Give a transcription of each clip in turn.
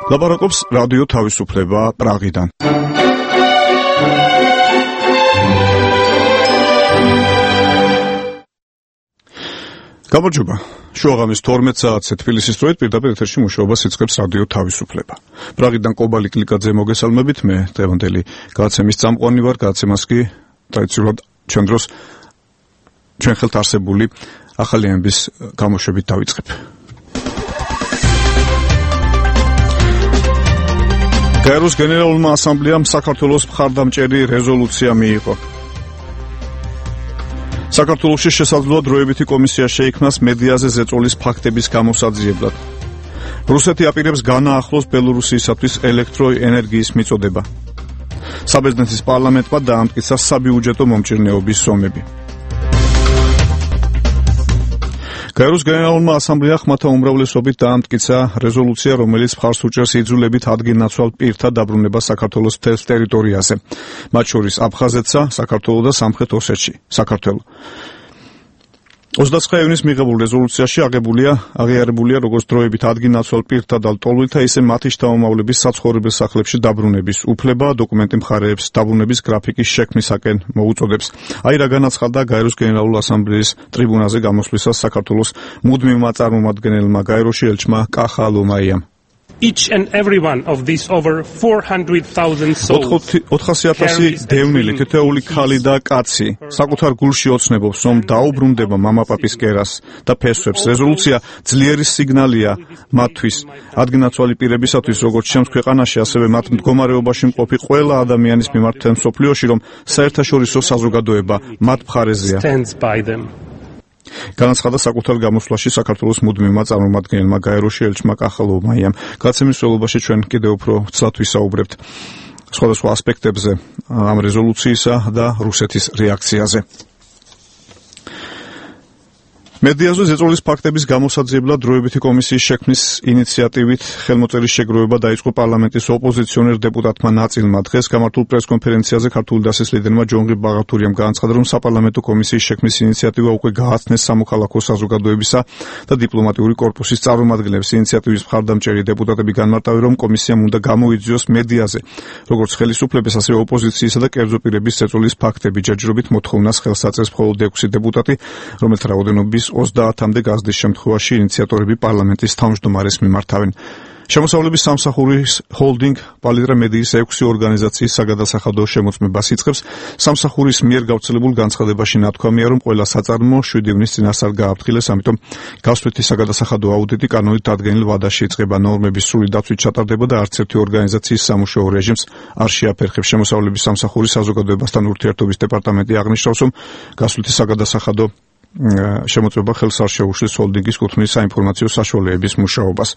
ლაპარაკობს რადიო თავისუფლება პრაღიდან. გამარჯობა. შუაღამის 12 საათზე თბილისის დროით პირდაპირ ეთერში მუშაობას იწყებს რადიო თავისუფლება. პრაღიდან კობალი კლიკაძე მოგესალმებით, მე დღევანდელი გადაცემის წამყვანი ვარ, გადაცემას კი ტრადიციულად ჩვენ დროს ჩვენ ხელთ არსებული ახალი ამბის გამოშვებით დავიწყებ. გაეროს გენერალურმა ასამბლეამ საქართველოს მხარდამჭერი რეზოლუცია მიიღო. საქართველოში შესაძლოა დროებითი კომისია შეიქმნას მედიაზე ზეწოლის ფაქტების გამოსაძიებლად. რუსეთი აპირებს განაახლოს ბელორუსიისათვის ელექტროენერგიის მიწოდება. საბერძნეთის პარლამენტმა დაამტკიცა საბიუჯეტო მომჭირნეობის ზომები. გაეროს გენერალურმა ასამბლეამ ხმათა უმრავლესობით დაამტკიცა რეზოლუცია, რომელიც მხარს უჭერს იძულებით ადგილნაცვალ პირთა დაბრუნებას საქართველოს მთელ ტერიტორიაზე, მათ შორის აფხაზეთსა, საქართველოს და სამხრეთ ოსეთში. საქართველო 29 ივნის მიღებულ რეზოლუციაში აღიარებულია როგორც დროებით ადგილნაცვალ პირთა და ლტოლვილთა, ისე მათი შთამომავლების საცხოვრებელ სახლებში დაბრუნების უფლება, დოკუმენტი მხარეებს დაბრუნების გრაფიკის შექმნისაკენ მოუწოდებს. აი რა განაცხადა გაეროს გენერალურ ასამბლეის ტრიბუნაზე გამოსვლისას საქართველოს მუდმივმა წარმომადგენელმა გაეროში ელჩმა კახა ლომაიამ. Each and every one of these over 400,000 souls 400,000 დევნილი თითოეული ქალი და კაცი საკუთარ გულში ოცნებობს, რომ დაუბრუნდება მამაპაპის კერას და ფესვებს. რეზოლუცია ძლიერი სიგნალია მათთვის, ადგილნაცვალი პირებისათვის, როგორც ჩემს ქვეყანაში, ასევე მათ მდგომარეობაში მყოფი ყველა ადამიანის მიმართ მთელ მსოფლიოში, რომ საერთაშორისო საზოგადოება მათ მხარეზეა. განაცხადა საკუთარ გამოსვლაში საქართველოს მუდმივმა წარმომადგენელმა გაეროში ელჩმა კახა ლომაიამ. გადაცემის მსვლელობაში ჩვენ კიდევ უფრო ცალად ვისაუბრებთ სხვადასხვა ასპექტებზე ამ რეზოლუციისა და რუსეთის რეაქციაზე. მედიაზე ზეწოლის ფაქტების გამოსაძიებლად დროებითი კომისიის შექმნის ინიციატივით ხელმოწერის შეგროვება დაიწყო პარლამენტის ოპოზიციონერ დეპუტატმა ნაწილმა. დღეს გამართულ პრესკონფერენციაზე ქართული დასის ლიდერმა ჯონღი ბაღათურიამ განაცხადა, რომ საპარლამენტო კომისიის შექმნის ინიციატივა უკვე გააცნეს სამოქალაქო საზოგადოებისა და დიპლომატიური კორპუსის წარმომადგენლებს. ინიციატივის მხარდამჭერი დეპუტატები განმარტავენ, რომ კომისიამ უნდა გამოიძიოს მედიაზე, როგორც ხელისუფლების, ასევე ოპოზიციისა და კერძო პირების ზეწოლის ფაქტები. ჯერჯერობით მოთხოვნას ხელს აწევს მხოლოდ 6 დეპუტატი, რომელთა რაოდენობის 30-მდე გაზრდის შემთხვევაში ინიციატორები პარლამენტის თავმჯდომარეს მიმართავენ. შემოსავლების სამსახურის ჰოლდინგ პალიტრა მედიის 6 ორგანიზაციის საგადასახადო შემოწმებას იწყებს. სამსახურის მიერ გავრცელებულ განცხადებაში ნათქვამია, რომ ყველა საწარმო 7 ივნის წინასწარ გააფრთხილეს, ამიტომ გასვლითი საგადასახადო აუდიტი კანონით დადგენილ ვადაში იწყება. ნორმების სრული დაცვით ჩატარდება და არც ერთი ორგანიზაციის სამუშაო რეჟიმს არ შეაფერხებს. შემოსავლების სამსახურის საზოგადოებასთან ურთიერთობის დეპარტამენტი აღნიშნავს, რომ გასვლითი საგადასახადო შემოწმება ხელს არ შეუშლის ჰოლდინგის კუთვნილ საინფორმაციო საშუალებების მუშაობას.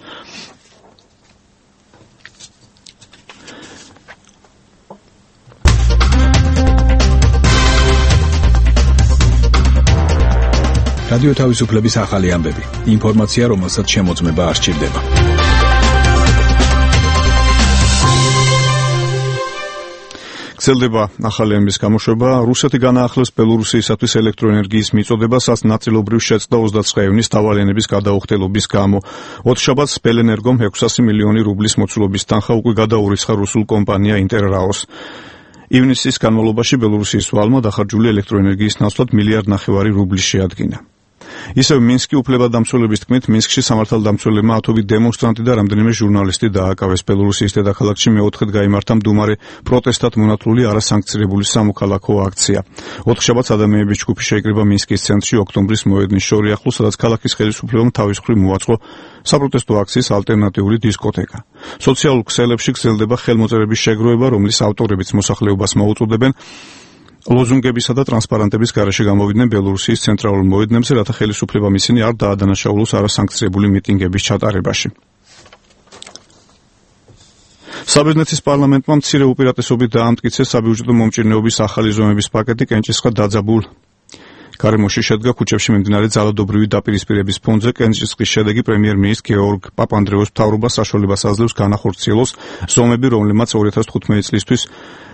რადიო თავისუფლების ახალი ამბები. ინფორმაცია, რომელსაც შემოწმება არ სჭირდება. გრძელდება ახალი ამბის გამოშვება. რუსეთი განაახლებს ბელორუსიისათვის ელექტროენერგიის მიწოდებას, ნაწილობრივ შეწყდა 29 ივნის დავალიანების გადაუხდელობის გამო. ოთხშაბათს ბელენერგომ 600 მილიონი რუბლის მოცულობის თანხა უკვე გადაურიცხა რუსულ კომპანია ინტერრაოს. ივნისის განმავლობაში ბელორუსიის ვალმა დახარჯული ელექტროენერგიის ნაცვლად 1,5 მილიარდი რუბლის შეადგინა. ისევ მინსკი უფლებადამცველების თქმით, მინსკში სამართალდამცველებმა ათობით დემონსტრანტი და რამდენიმე ჟურნალისტი დააკავეს. ბელორუსიის დედაქალაქში მეოთხედ გაიმართა მდუმარე პროტესტად მონათლული არასანქცირებული სამოქალაქო აქცია. ოთხშაბათს ადამიანების ჯგუფი შეიკრიბა მინსკის ცენტრში ოქტომბრის მოედნის შორი ახლოს, სადაც ქალაქის ხელისუფლებამ თავის მხრივ მოაწყო საპროტესტო აქციის ალტერნატიული დისკოთეკა. სოციალურ ქსელებში გრძელდება ხელმოწერების შეგროვება, რომლის ავტორებიც მოსახლეობას მოუწოდებენ ლოზუნგებისა და ტრანსპარანტების გარეშე გამოვიდნენ ბელორუსიის ცენტრალურ მოედნებზე, რათა ხელისუფლებამ ისინი არ დაადანაშაულოს არასანქცირებული მიტინგების ჩატარებაში. საბერძნეთის პარლამენტმა მცირე უპირატესობით დაამტკიცეს საბიუჯეტო მომჭირნეობის ახალი ზომების პაკეტი კენჭისყრა დაძაბულ გარემოში შედგა ქუჩებში მიმდინარე ძალადობრივი დაპირისპირების ფონზე კენჭისყრის შედეგი პრემიერ-მინისტრ გეორგ პაპანდრეუს მთავრობას საშუალებას აძლევს განახორციელოს ზომები, რომლებმაც 2015 წლისთვის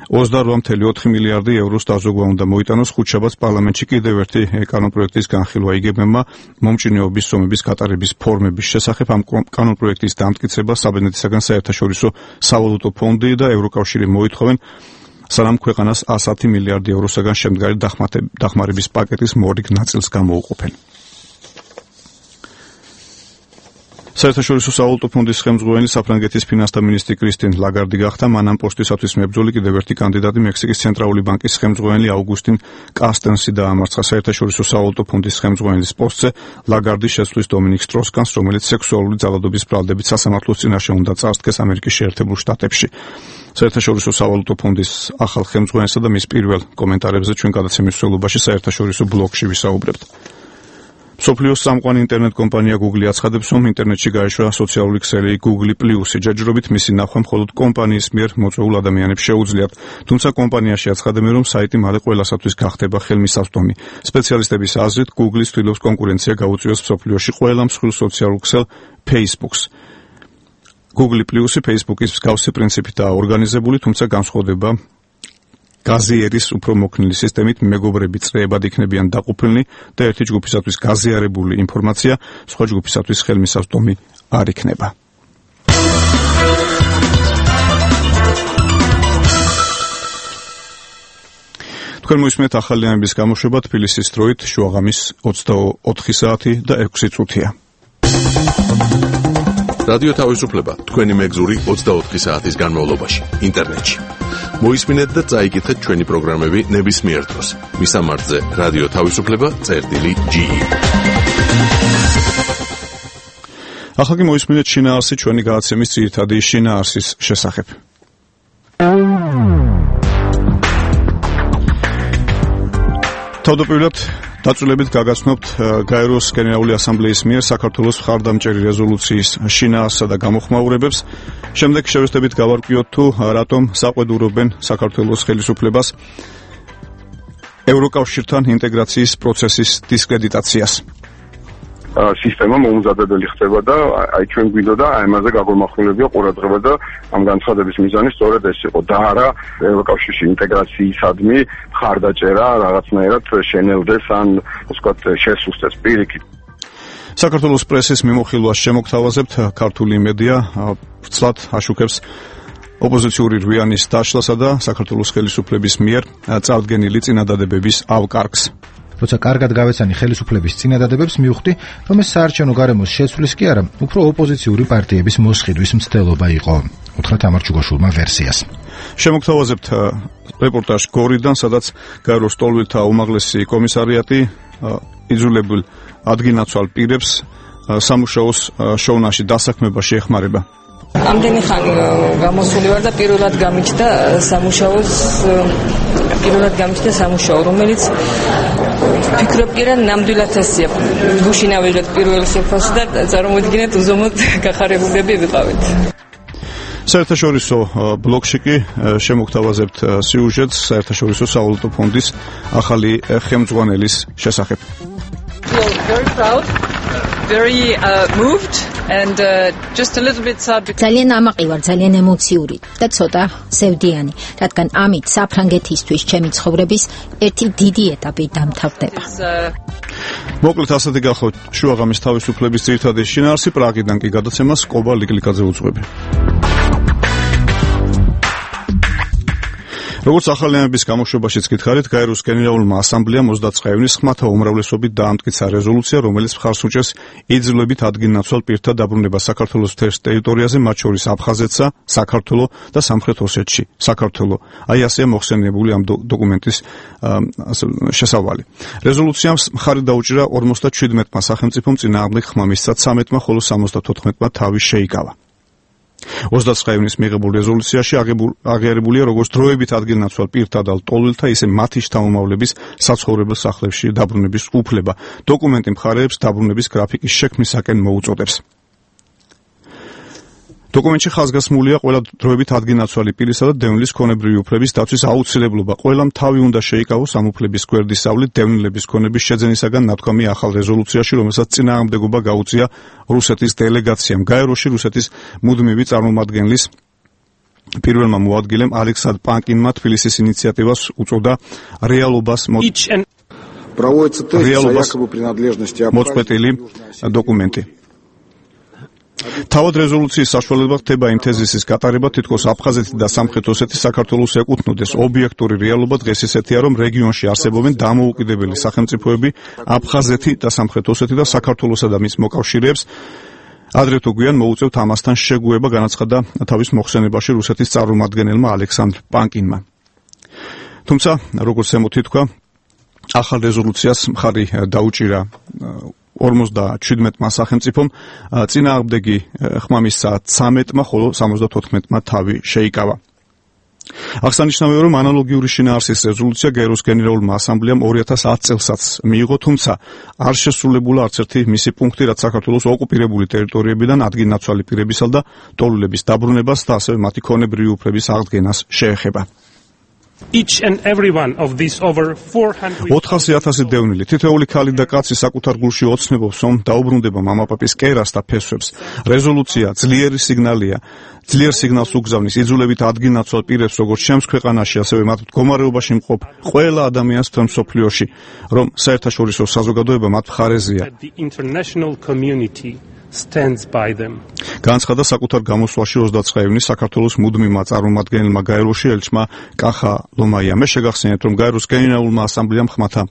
28.4 მილიარდი ევროს დაზოგვა უნდა მოიტანოს. ხუთშაბათს პარლამენტში კიდევ ერთი კანონპროექტის განხილვა იგებმა მომჭირნეობის ზომების გატარების ფორმების შესახებ. ამ კანონპროექტის დამტკიცება საბერძნეთისაგან საერთაშორისო სავალუტო ფონდი და ევროკავშირი მოითხოვენ, სანამ ქვეყანას 110 მილიარდი ევროსაგან შემდგარი დახმარების პაკეტის მორიგ ნაწილს გამოუყოფენ. საერთაშორისო სავალუტო ფონდის ხელმძღვანელი საფრანგეთის ფინანსთა მინისტრი კრისტინ ლაგარდი გახდა. მან ამ პოსტისათვის მებრძოლი კიდევ ერთი კანდიდატი მექსიკის ცენტრალური ბანკის ხელმძღვანელი აუგუსტინ კასტენსი დაამარცხა. საერთაშორისო სავალუტო ფონდის ხელმძღვანელის პოსტზე ლაგარდი შეცვლის დომინიკ სტროს-კანს, რომელიც სექსუალური ძალადობის ბრალდებით სასამართლოს წინაშე უნდა წარსდგეს ამერიკის შეერთებულ შტატებში. საერთაშორისო სავალუტო ფონდის ახალ ხელმძღვანელსა და მის პირველ კომენტარებზე ჩვენ გადაცემის მსვლელობაში საერთაშორისო ბლოგში ვისაუბრებთ. მსოფლიოს წამყვანი ინტერნეტ კომპანია Google აცხადებს, რომ ინტერნეტში გაეშვა სოციალური ქსელი Google Plus-ი. ჯერჯერობით მისი ნახვა მხოლოდ კომპანიის მიერ მოწვეულ ადამიანებს შეუძლიათ. თუმცა კომპანიაში აცხადებენ, რომ საიტი მალე ყველასათვის გახდება ხელმისაწვდომი. სპეციალისტების აზრით, Google ცდილობს კონკურენცია გაუწიოს მსოფლიოში ყველა მსხვილ სოციალურ ქსელ Facebook-ს. Google Plus-ი Facebook-ის მსგავსი პრინციპითაა ორგანიზებული, თუმცა განსხვავდება გაზიერის უფრო მოქნილი სისტემით მეგობრები წრეებად იქნებიან დაყოფილნი და ერთი ჯგუფისათვის გაზიარებული ინფორმაცია სხვა ჯგუფისათვის ხელმისაწვდომი არ იქნება. თქვენ მოისმენთ ახალი ამბის გამოშვება თბილისის დროით შუაღამის 24 საათი და 6 წუთია. რადიო თავისუფლება თქვენი მეგზური 24 საათის განმავლობაში ინტერნეტში. მოისმინეთ და წაიკითხეთ ჩვენი პროგრამები ნებისმიერ დროს. მისამართზე რადიო თავისუფლება.ge. ახლა კი მოისმინეთ შინაარსი ჩვენი გადაცემის ძირითადი შინაარსის შესახებ. თავდაპირველად დაწვრილებით გაგაცნობთ გაეროს გენერალური ასამბლეის მიერ საქართველოს მხარდამჭერი რეზოლუციის შინაარსსა და გამოხმაურებებს. შემდეგ შევეცდებით გავარკვიოთ თუ რატომ საყვედურობენ საქართველოს ხელისუფლებას ევროკავშირთან ინტეგრაციის პროცესის დისკრედიტაციას. სისტემა მოუმზადებელი ხდება და აი ჩვენ გვინდოდა ამაზე გაგორმახვილებია ყურადღება და ამ განცხადების მიზანი სწორედ ეს იყო და არა ევროკავშირში ინტეგრაციისადმი მხარდაჭერა რაღაცნაირად შენელდეს ან ვთქვათ შესუსტეს პირიქით. საქართველოს პრესის მიმოხილვას შემოგთავაზებთ. ქართული მედია ვრცლად აშუქებს ოპოზიციური რვიანის დაშლასა და საქართველოს ხელისუფლების მიერ წარდგენილი წინადადებების ავკარგს. როცა კარგად გავეცანი ხელისუფლების წინადადებებს, მივხვდი, რომ ეს საარჩევნო გარემოს შეცვლის კი არა, უფრო ოპოზიციური პარტიების მოსყიდვის მცდელობა იყო. უთხრათ ამარ ჩუგაშვილმა ვერსიას. შემოგთავაზებთ რეპორტაჟ გორიდან, სადაც გაეროს ტოლვილთა უმაღლესი კომისარიატი იძულებულ ადგილნაცვალ პირებს სამუშაოს შოვნაში დასაქმებაში ეხმარება. ამდენი ხანი გამოსული ვარ და პირველად გამიჩნდა სამუშაო, რომელიც ფიქრობ კი რა ნამდვილად ესია. გუშინ ავიღეთ პირველ სოფელში და წარმოვიდგინეთ უზომოდ გახარებულები ვიყავით. საერთაშორისო ბლოგში კი შემოგთავაზებთ სიუჟეტს საერთაშორისო სავალუტო ფონდის ახალი ხელმძღვანელის შესახებ. Very proud, very moved and just a little bit sad. ძალიან ამაყი ვარ, ძალიან ემოციური და ცოტა სევდიანი, რადგან ამით საფრანგეთისთვის ჩემი ცხოვრების ერთი დიდი ეტაპი დამთავრდება. მოკლედ ასეთი გახლავთ შუაღამის თავისუფლების ძირითადი შინაარსი. პრაღიდან კი გადაცემას კობა ლიკლიკაძე უძღვები. როგორც ახალი ამბის გამოშვებაშიც გითხარით, გაეროს გენერალურმა ასამბლეამ 29 ივნის ხმათა უმრავლესობით დაამტკიცა რეზოლუცია, რომელიც მხარს უჭერს იძულებით ადგილნაცვალ პირთა დაბრუნება საქართველოს მთელ ტერიტორიაზე, მათ შორის აფხაზეთსა, საქართველო და სამხრეთ ოსეთში. საქართველო. აი ასეა მოხსენიებული ამ დოკუმენტის შესავალი. რეზოლუციამ მხარი დაუჭირა 57-მა სახელმწიფომ წინააღმდეგ ხმა მისცა 13-მა, ხოლო 74-მა თავი შეიკავა. 29 ივნის მიღებულ რეზოლუციაში აღიარებულია როგორც დროებით ადგილნაცვალ პირთა და ტოლვილთა, ისე მათი შთამომავლების საცხოვრებელ სახლებში დაბრუნების უფლება. დოკუმენტი მხარეებს დაბრუნების გრაფიკის შექმნისაკენ მოუწოდებს. დოკუმენტში ხაზგასმულია ყველა დროებით ადგილნაცვალი პირისა და დევნილის ქონებრივი უფლების დაცვის აუცილებლობა. ყველამ თავი უნდა შეიკავოს ამ უფლების გვერდის სწავლით დევნილების ქონების შეძენისაგან ნათქვამი ახალ რეზოლუციაში, რომელსაც წინააღმდეგობა გაუწია რუსეთის დელეგაციამ. გაეროში რუსეთის მუდმივი წარმომადგენლის პირველმა მოადგილემ ალექსანდრ პანკინმა თბილისის ინიციატივას უწოდა რეალობას მოწყვეტილი დოკუმენტი. თავად რეზოლუციის საშუალება ხდება იმ თეზისის გატარება, თითქოს აფხაზეთი და სამხრეთ ოსეთი საქართველოს ეკუთვნოდეს. ობიექტური რეალობა დღეს ისეთია, რომ რეგიონში არსებობენ დამოუკიდებელი სახელმწიფოები, აფხაზეთი და სამხრეთ ოსეთი და საქართველოსა და მის მოკავშირეებს ადრე თუ გვიან მოუწევთ ამასთან შეგუება, განაცხადა თავის მოხსენებაში რუსეთის წარმომადგენელმა ალექსანდრ პანკინმა. თუმცა, როგორც ემოთი თქვა, ახალ რეზოლუციას მხარი დაუჭირა 57-მა სახელმწიფომ, წინააღმდეგი ხმამისცა 13-მა, ხოლო 74-მა თავი შეიკავა. აღსანიშნავია, რომ ანალოგიური შინაარსის რეზოლუცია გაეროს გენერალურმა ასამბლეამ 2010 წელსაც მიიღო, თუმცა არ შესრულებულა არც ერთი მისი პუნქტი, რაც საქართველოს ოკუპირებული ტერიტორიებიდან ადგილნაცვალი პირებისა და ტოლულების დაბრუნებას და ასევე მათი ქონებრივი უფლების აღდგენას შეეხება. Each and every one of these over 400,000 დევნილი, თითოეული ქალი და კაცი საკუთარ გულში ოცნებობს, რომ დაუბრუნდება მამაპაპის კერას და ფესვებს. რეზოლუცია ძლიერი სიგნალია, ძლიერ სიგნალს უგზავნის იძულებით ადგილნაცვალ პირებს, როგორც ჩემს ქვეყანაში, ასევე მათ მდგომარეობაში მყოფ ყველა ადამიანს მთელ მსოფლიოში, რომ საერთაშორისო საზოგადოება მათ მხარეზეა. stands by them. განცხადა საკუთარ გამოსვლაში 29 ივნის საქართველოს მუდმივმა წარმომადგენელმა გაეროში ელჩმა კახა ლომაიამ. შეგახსენებთ, რომ გაეროს გენერალურმა ასამბლეამ ხმათა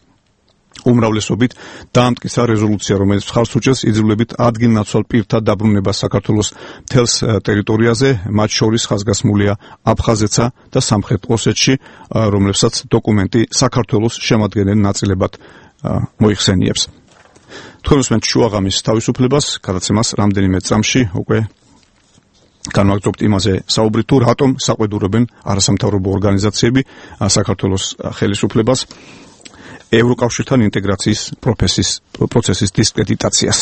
უმრავლესობით დაამტკიცა რეზოლუცია, რომელიც მხარს უჭერს იძულებით ადგილნაცვალ პირთა დაბრუნებას საქართველოს მთელს ტერიტორიაზე, მათ შორის ხაზგასმულია აფხაზეთსა და სამხრეთ ოსეთში, რომლებსაც დოკუმენტი საქართველოს შემადგენელ ნაწილებად მოიხსენიებს. თქვენ უსმენთ შუაღამის თავისუფლებას, გადაცემას რამდენიმე წამში უკვე განვაგრძობთ იმაზე საუბრი, თუ რატომ საყვედურობენ არასამთავრობო ორგანიზაციები საქართველოს ხელისუფლებას ევროკავშირთან ინტეგრაციის პროცესის დისკრედიტაციას.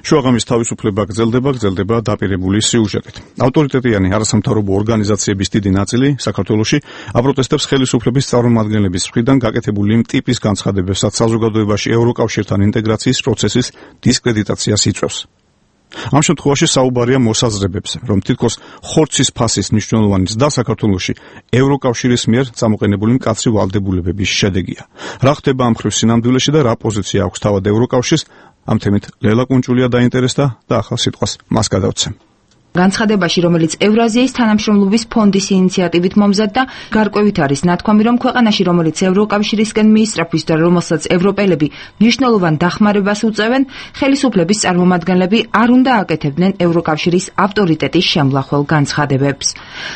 შუაღამის თავისუფლება გრძელდება დაპირებული სიუჟეტით. ავტორიტეტიანი არასამთავრობო ორგანიზაციების დიდი ნაწილი საქართველოში აპროტესტებს ხელისუფლების წარმომადგენლების მხრიდან გაკეთებული იმ ტიპის განცხადებებსაც საზოგადოებაში ევროკავშირთან ინტეგრაციის პროცესის დისკრედიტაციას იწვევს. ამ შემთხვევაში საუბარია მოსაზრებებზე, რომ თითქოს ხორცის ფასის მნიშვნელოვანი ზრდა საქართველოში ევროკავშირის მიერ წამოყენებული მკაცრი ვალდებულებების შედეგია. რა ხდება ამ მხრივ სინამდვილეში და რა პოზიცია აქვს თავად ევროკავშირს? ამ თემით ლელა კუნჭულია დაინტერესდა და ახალ სიტყვას მას გადავცემ. განცხადებაში, რომელიც ევრაზიის თანამშრომლობის ფონდის ინიციატივით მომზადდა, გარკვევით არის ნათქვამი, რომ ქვეყანაში, რომელიც ევროკავშირისკენ მიისწრაფვის და რომელსაც ევროპელები მნიშვნელოვან დახმარებას უწევენ, ხელისუფლების წარმომადგენლები არ უნდა აკეთებდნენ ევროკავშირის ავტორიტეტის შემლახველ განცხადებებს.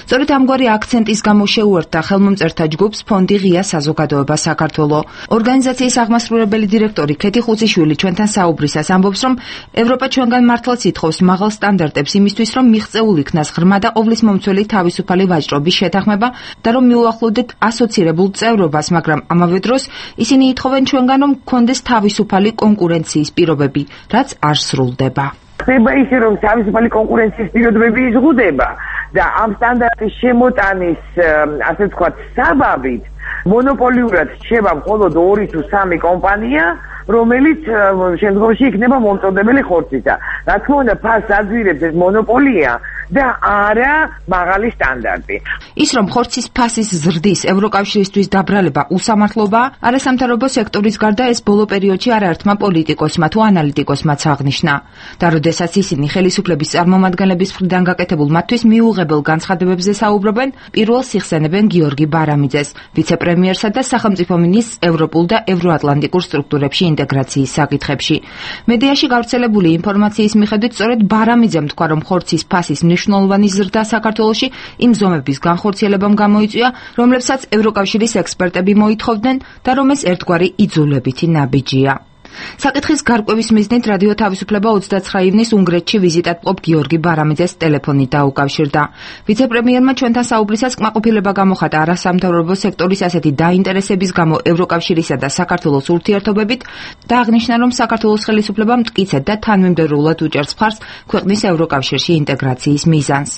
სწორედ ამგვარი აქცენტის გამო შეუერთდა ხელმომწერთა ჯგუფს ფონდი ღია საზოგადოება საქართველო. ორგანიზაციის აღმასრულებელი დირექტორი ქეთი ხუციშვილი ჩვენთან საუბრისას ამბობს, რომ ევროპა ჩვენგან მართლაც ითხოვს მაღალ სტანდარტებს იმისთვის, რომ მიღწეულ იქნას ღრმა და ყოვლისმომცველი თავისუფალი ვაჭრობის შეთანხმება და რომ მიუახლოვდეთ ასოცირებულ წევრობას, მაგრამ ამავე დროს ისინი ითხოვენ ჩვენგან, რომ გქონდეს თავისუფალი კონკურენციის პირობები, რაც არ სრულდება. ხდება ისე, რომ თავისუფალი კონკურენციის პირობები იზღუდება და ამ სტანდარტის შემოტანის, ასე ვთქვათ, საბაბით მონოპოლიურად რჩება მხოლოდ 2 თუ 3 კომპანია, რომელიც შემდგომში იქნება მომწოდებელი ხორცისა. რა თქმა უნდა, ფასს აძვირებს ეს მონოპოლია და არა მაღალი სტანდარტი. ის, რომ ხორცის ფასის ზრდის ევროკავშირისთვის დაბრალება უსამართლობაა, არასამთავრობო სექტორის გარდა ეს ბოლო პერიოდში არაერთმა პოლიტიკოსმა თუ ანალიტიკოსმაც აღნიშნა. და როდესაც ისინი ხელისუფლების წარმომადგენლების მხრიდან გაკეთებულ მათთვის მიუღებელ განცხადებებზე საუბრობენ, პირველს იხსენებენ გიორგი ბარამიძეს, ვიცე-პრემიერსა და სახელმწიფო მინისტრს ევროპულ და ევროატლანტიკურ სტრუქტურებში ინტეგრაციის საკითხებში. მედიაში გავრცელებული ინფორმაციის მიხედვით, სწორედ ბარამიძემ თქვა, რომ ხორცის ფასის მნიშვნელოვანი ზრდა საქართველოში იმ ზომების განხორციელებამ გამოიწვია, რომლებსაც ევროკავშირის ექსპერტები მოითხოვდნენ და რომ ეს ერთგვარი იძულებითი ნაბიჯია. საკითხის გარკვევის მიზნით რადიო თავისუფლება 29 ივნისს უნგრეთში ვიზიტად მყოფ გიორგი ბარამიძეს ტელეფონით დაუკავშირდა. ვიცე-პრემიერმა ჩვენთან საუბრისას კმაყოფილება გამოხატა არასამთავრობო სექტორის ასეთი დაინტერესების გამო ევროკავშირისა და საქართველოს ურთიერთობებით და აღნიშნა, რომ საქართველოს ხელისუფლებამ მტკიცედ და თანმიმდევრულად უჭერს მხარს ქვეყნის ევროკავშირში ინტეგრაციის მიზანს.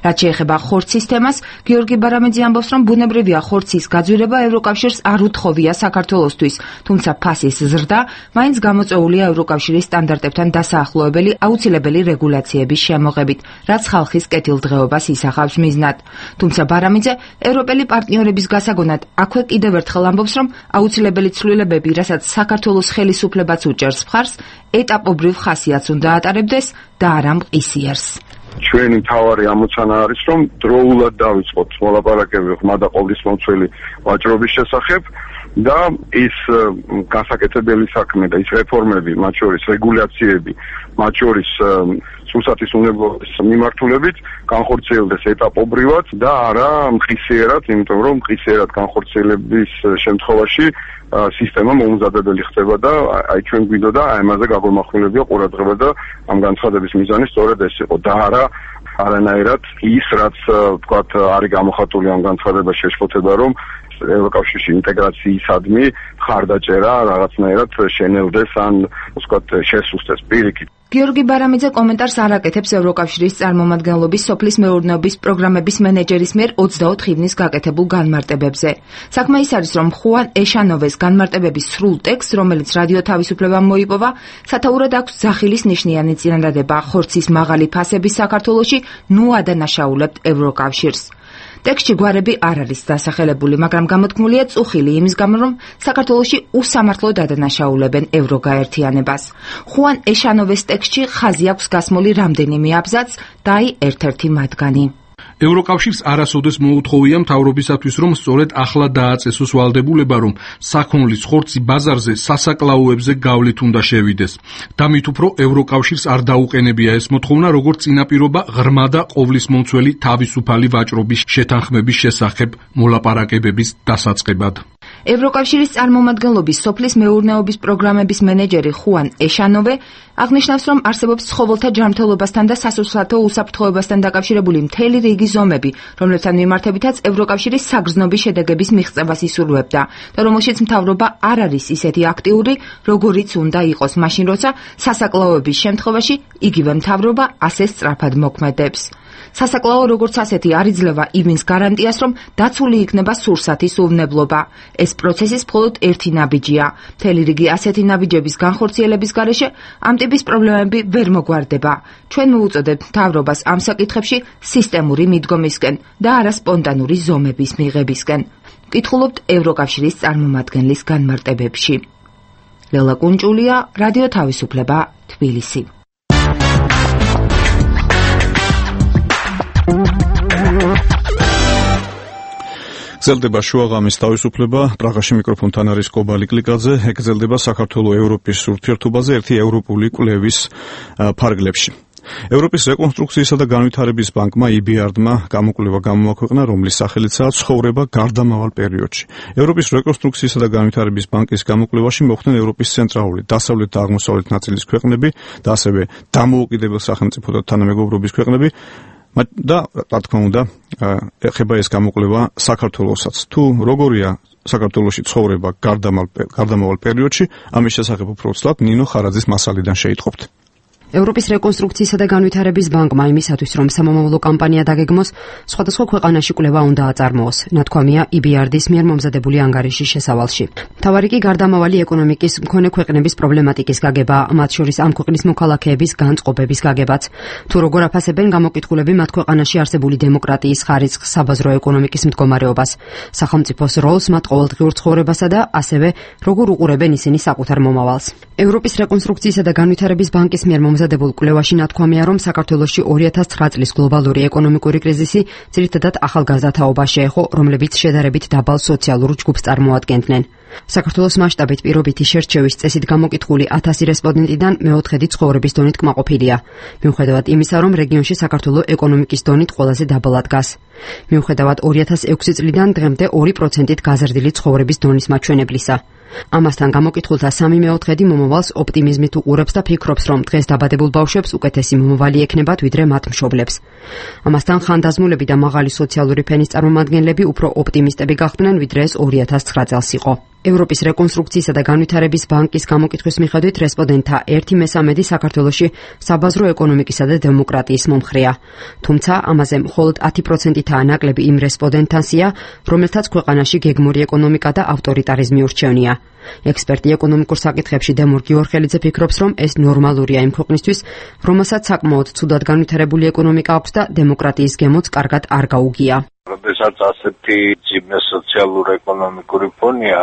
რაც შეეხება ხორცის თემას, გიორგი ბარამიძე ამბობს, რომ ბუნებრივია ხორცის გაძვირება ევროკავშირს არ უთხოვია საქართველოსთვის, თუმცა ფასის ზრდა მაინც გამოწვეულია ევროკავშირის სტანდარტებთან დასაახლოებელი აუცილებელი რეგულაციების შემოღებით, რაც ხალხის კეთილდღეობას ისახავს მიზნად. თუმცა ბარამიძე ევროპელი პარტნიორების გასაგონად აქვე კიდევ ერთხელ ამბობს, რომ აუცილებელი ცვლილებები, რასაც საქართველოს ხელისუფლებაც უჭერს მხარს, ეტაპობრივ ხასიათს უნდა ატარებდეს და არა მყისიერს. ჩვენი მთავარი ამოცანა არის, რომ დროულად დავიწყოთ მოლაპარაკებები ღრმა და ყოვლისმომცველი ვაჭრობის შესახებ და ის გასაკეთებელი საქმე და ის რეფორმები, მათ შორის რეგულაციები, მათ შორის სურსათის უნებლობის მიმართულებით განხორციელდეს ეტაპობრივად და არა მყისიერად, იმიტომ რომ მყისიერად განხორციელების შემთხვევაში სისტემა მოუმზადებელი ხდება და აი ჩვენ გვინდოდა ამაზე გაგვემახვილებია ყურადღება და ამ განცხადების მიზანი სწორედ ეს იყო და არანაირად ის, რაც თქვათ არის გამოხატული ამ განცხადებას შეშფოთება, რომ ევროკავშირში ინტეგრაციისადმი ხარდაჭერა რაღაცნაირად შენელდეს ან ვთქვათ შესუსტეს პირიქით. გიორგი ბარამიძე კომენტარს არ აკეთებს ევროკავშირის წარმომადგენლობის სოფლის მეურნეობის პროგრამების მენეჯერის მიერ 24 ივნისს გაკეთებულ განმარტებებზე. საქმე ის არის, რომ ხუან ეშანოვეს განმარტებების სრულ ტექსტს, რომელიც რადიო თავისუფლებამ მოიპოვა, სათაურად აქვს ძახილის ნიშნიანი წინადადება ხორცის მაღალი ფასების საქართველოში, ნუ ადანაშაულებთ ევროკავშირს. ტექსტში გვარები არ არის დასახელებული, მაგრამ გამოთქმულია წუხილი იმის გამო, რომ საქართველოში უსამართლოდ ადანაშაულებენ ევროგაერთიანებას. ხუან ეშანოვეს ტექსტში ხაზი აქვს გასმული რამდენიმე აბზაცს და აი ერთ-ერთი მათგანი. ევროკავშირს არასოდეს მოუთხოვია მთავრობისათვის, რომ სწორედ ახლა დააწესოს ვალდებულება, რომ საქონლის ხორცი ბაზარზე სასაკლაოებზე გავლით უნდა შევიდეს. და მით უფრო ევროკავშირს არ დაუყენებია ეს მოთხოვნა, როგორც წინაპირობა ღრმა და ყოვლისმომცველი თავისუფალი ვაჭრობის შეთანხმების შესახებ მოლაპარაკებების დასაწყებად. ევროკავშირის წარმომადგენლობის სოფლის მეურნეობის პროგრამების მენეჯერი ხუან ეშანოვე აღნიშნავს, რომ არსებობს ცხოველთა ჯანმრთელობასთან და სასურსათო უსაფრთხოებასთან დაკავშირებული მთელი რიგი ზომები, რომლებთან მიმართებითაც ევროკავშირის საგრძნობი შედეგების მიღწევას ისურვებდა და რომელშიც მთავრობა არ არის ისეთი აქტიური, როგორიც უნდა იყოს მაშინ, როცა სასაკლაოების შემთხვევაში იგივე მთავრობა ასე სწრაფად მოქმედებს. სასაკლაო როგორც ასეთი არ იძლევა იმის გარანტიას, რომ დაცული იქნება სურსათის უვნებლობა. ეს პროცესის მხოლოდ ერთი ნაბიჯია. მთელი რიგი ასეთი ნაბიჯების განხორციელების გარეშე ამ ტიპის პრობლემები ვერ მოგვარდება. ჩვენ მოუწოდებთ მთავრობას ამ საკითხებში სისტემური მიდგომისკენ და არა სპონტანური ზომების მიღებისკენ. ვკითხულობთ ევროკავშირის წარმომადგენლის განმარტებებში. ლელა კუნჭულია, რადიო თავისუფლება, თბილისი. გრძელდება შუაღამის თავისუფლება. პრაღაში მიკროფონთან არის კობალი კლიკაძე. გრძელდება საქართველოს ევროპის ურთიერთობაზე ერთი ევროპული კვლევის ფარგლებში. ევროპის რეკონსტრუქციისა და განვითარების ბანკმა EBRD-მა გამოკვლევა გამოაქვეყნა, რომლის სახელიცაა ცხოვრება გარდამავალ პერიოდში. ევროპის რეკონსტრუქციისა და განვითარების ბანკის გამოკვლევაში მოხვდნენ ევროპის ცენტრალური, დასავლეთ და აღმოსავლეთ ნაწილის ქვეყნები და ასევე დამოუკიდებელ სახელმწიფო და თანამეგობრობის ქვეყნები. და რა თქმა უნდა, ეხება ეს გამოკვლევა საქართველოსაც. თუ როგორია საქართველოში ცხოვრება გარდამავალ პერიოდში, ამის შესახებ უფრო ვცლად ნინო ხარაძის მასალიდან შეიტყობთ. ევროპის რეკონსტრუქციისა და განვითარების ბანკმა იმისათვის, რომ სამომავლო კამპანია დაგეგმოს, სხვადასხვა ქვეყანაში კვლევა უნდა აწარმოოს. ნათქვამია EBRD-ის მიერ მომზადებული ანგარიშის შესავალში. მთავარი კი გარდამავალი ეკონომიკის მქონე ქვეყნების პრობლემატიკის გაგება, მათ შორის ამ ქვეყნის მოქალაქეების განწყობების გაგებაც. თუ როგორ აფასებენ გამოკითხულები მათ ქვეყანაში არსებული დემოკრატიის ხარისხს, საბაზრო ეკონომიკის მდგომარეობას, სახელმწიფოს როლს მათ ყოველდღიურ ცხოვრებასა და ასევე როგორ უყურებენ ისინი საკუთარ მომავალს. ევროპის რეკონსტრუქციისა და განვითარების ბანკის მიერ მომზადებულ კვლევაში ნათქვამია, რომ საქართველოში 2009 წლის გლობალური ეკონომიკური კრიზისი ძირითადად ახალგაზრდათაობა შეეხო, რომლებიც შედარებით დაბალ სოციალურ ჯგუფს წარმოადგენდნენ. საქართველოს მასშტაბით პირობითი შერჩევის წესით გამოკითხული 1000 რესპონდენტიდან მეოთხედი ცხოვრების დონით კმაყოფილია. მიუხედავად იმისა, რომ რეგიონში საქართველოს ეკონომიკის დონით ყველაზე დაბალად დგას. მიუხედავად 2006 წლიდან დღემდე 2%-ით გაზრდილი ცხოვრების დონის მაჩვენებლისა. ამასთან გამოკითხულთა 3/4 მომავალს ოპტიმიზმით უყურებს და ფიქრობს, რომ დღეს დაბადებულ ბავშვებს უკეთესი მომავალი ექნებათ, ვიდრე მათ მშობლებს. ამასთან ხანდაზმულები და მაღალი სოციალური ფენის წარმომადგენლები უფრო ოპტიმისტები გახდნენ, ვიდრე ეს 2009 წელს იყო. ევროპის რეკონსტრუქციისა და განვითარების ბანკის გამოკითხვის მიხედვით რესპონდენტთა 1/3 საქართველოში საბაზრო ეკონომიკისა და დემოკრატიის მომხრეა. თუმცა ამაზე მხოლოდ 10%-ითაა ნაკლები იმ რესპონდენტთანსია, რომელთაც ქვეყანაში გეგმური ეკონომიკა და ავტორიტარიზმი ურჩევნია. ექსპერტი ეკონომიკურ საკითხებში დემურ გიორხელიძე ფიქრობს, რომ ეს ნორმალურია იმ ქვეყნისთვის, რომელსაც საკმაოდ ცუდად განვითარებული ეკონომიკა აქვს და დემოკრატიის გემოც კარგად არ გაუგია. როდესაც ასეთი ძიმე სოციალურ-ეკონომიკური ფონია,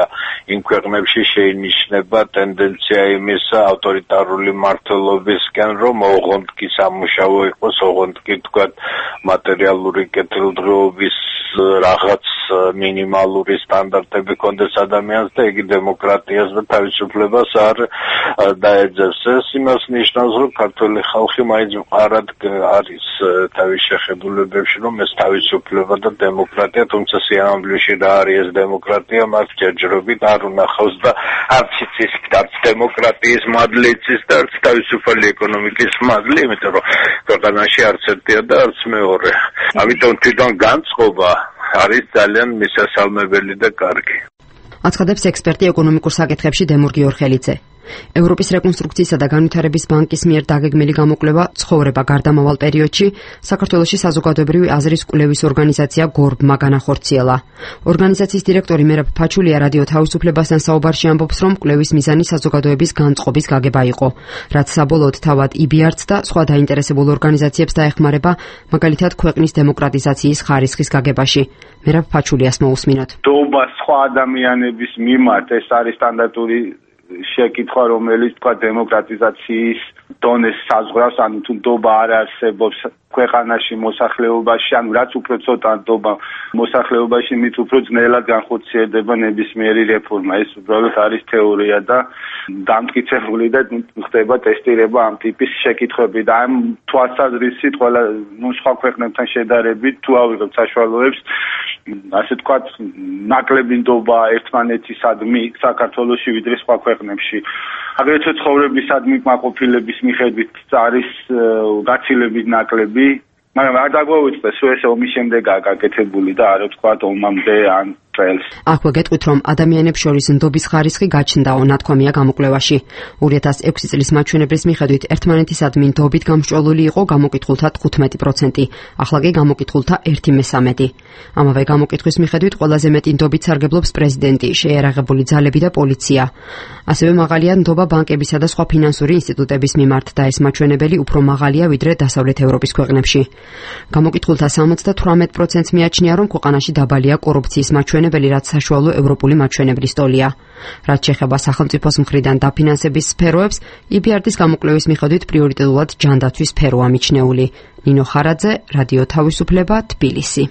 იმ ქვეყნებში შეინიშნება ტენდენცია იმის ავტორიტარული მმართველობისკენ, რომ ოღონდ კი სამუშაო იყოს, ოღონდ კი თქვა მატერიალური კეთილდღეობის რაღაც მინიმალური სტანდარტები კონდეს ადამიანს და იგი დემოკრატიას და თავისუფლებას არ დაეძებს. ეს იმას ნიშნავს, რომ ქართველი ხალხი მაინც მყარად არის თავის შეხედულებებში, რომ ეს თავისუფლება და დემოკრატია, თუმცა სიამოვნებაში რა არის ეს დემოკრატია, მას ჯერჯერობით არ უნახავს და არც იცის, არც დემოკრატიის მადლი იცის და არც თავისუფალი ეკონომიკის მადლი, იმიტომ რომ ქვეყანაში არც ერთია და არც მეორე. ამიტომ თვითონ განწყობა არის ძალიან მისასალმებელი და კარგი. აცხადებს ექსპერტი ეკონომიკურ საკითხებში დემურ გიორხელიძე. ევროპის რეკონსტრუქციისა და განვითარების ბანკის მიერ დაგეგმილი გამოკვლევა ცხოვრება გარდამავალ პერიოდში საქართველოში საზოგადოებრივი აზრის კვლევის ორგანიზაცია გორბმა განახორციელა. ორგანიზაციის დირექტორი მერაბ ფაჩულია რადიო თავისუფლებასთან საუბარში ამბობს, რომ კვლევის მიზანი საზოგადოების განწყობის გაგება იყო, რაც საბოლოოდ თავად EBRD-ს და სხვა დაინტერესებულ ორგანიზაციებს დაეხმარება, მაგალითად ქვეყნის დემოკრატიზაციის ხარისხის გაგებაში. მერაბ ფაჩულიას მოусმინოთ. დობა სხვა ადამიანების მიმართ ეს არის სტანდარტული შეკითხვა, რომელიც თქვა დემოკრატიზაციის დონეს საზღვრავს, ანუ თუ ნდობა არ არსებობს ქვეყანაში მოსახლეობაში, ანუ რაც უფრო ცოტა ნდობა მოსახლეობაში, მით უფრო ძნელად განხორციელდება ნებისმიერი რეფორმა. ეს უბრალოდ არის თეორია და დამტკიცებული და ხდება ტესტირება ამ ტიპის შეკითხვები და ამ თვალსაზრისით ყველა სხვა ქვეყნებთან შედარებით თუ ავიღებთ საშუალოებს, ასე ვთქვათ, ნაკლები ნდობა ერთმანეთისადმი საქართველოში ვიდრე სხვა ქვეყნებში. აგრეთვე ცხოვრებისადმი კმაყოფილების მიხედვით არის გაცილებით ნაკლები, მაგრამ არ დაგვაუწყდეს, რომ ეს ომის შემდეგაა გაკეთებული და არ ვთქვათ ომამდე ან წელს. აქვე გეტყვით, რომ ადამიანებს შორის ნდობის ხარისხი გაჩნდაო, ნათქვამია გამოკვლევაში. 2006 წლის მაჩვენებლის მიხედვით ერთმანეთისადმი ნდობით გამსჭვალული იყო გამოკითხულთა 15%, ახლა კი გამოკითხულთა 1/3. ამავე გამოკითხვის მიხედვით ყველაზე მეტი ნდობით სარგებლობს პრეზიდენტი, შეიარაღებული ძალები და პოლიცია. ასევე მაღალია ნდობა ბანკებისა და სხვა ფინანსური ინსტიტუტების მიმართ და ეს მაჩვენებელი უფრო მაღალია ვიდრე დასავლეთ ევროპის ქვეყნებში. გამოკითხულთა 78%-ს მიაჩნია, რომ ქვეყანაში დაბალია კორუფციის მაჩვენებელი, რაც საშუალო ევროპული მაჩვენებლის ტოლია. რაც შეეხება სახელმწიფოს მხრიდან დაფინანსების სფეროებს, EBRD-ის გამოკვლევის მიხედვით პრიორიტეტულად ჯანდაცვის სფეროა მიჩნეული. ნინო ხარაძე, რადიო თავისუფლება, თბილისი.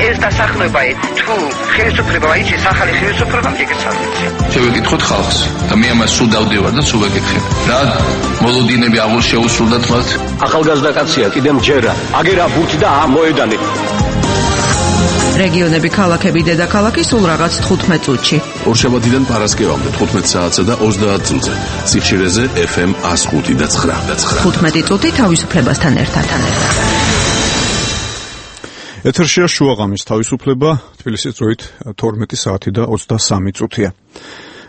ეს დასახლება თუ ხელისუფლება აიჩის ახალი ხელისუფლება მიგეცადეთ. შევეკითხოთ ხალხს და მე ამას სულ დავდევარ და სულ ვეკითხებ. რა მოლოდინები აღარ შეუსრულდათ მათ? ახალგაზრდა კაცია, კიდე მჯერა. აგერა ბურთი და მოედანი. რეგიონები, ქალაქები, დედაქალაქი სულ რაღაც 15 წუთში. ორშაბათიდან პარასკევამდე 15 საათსა და 30 წუთზე. სიხშირეზე FM 105 და 9. 15 წუთი თავისუფლებასთან ერთად. ეთერშია შუაღამის თავისუფლება, თბილისის დროით 12 საათი და 23 წუთია.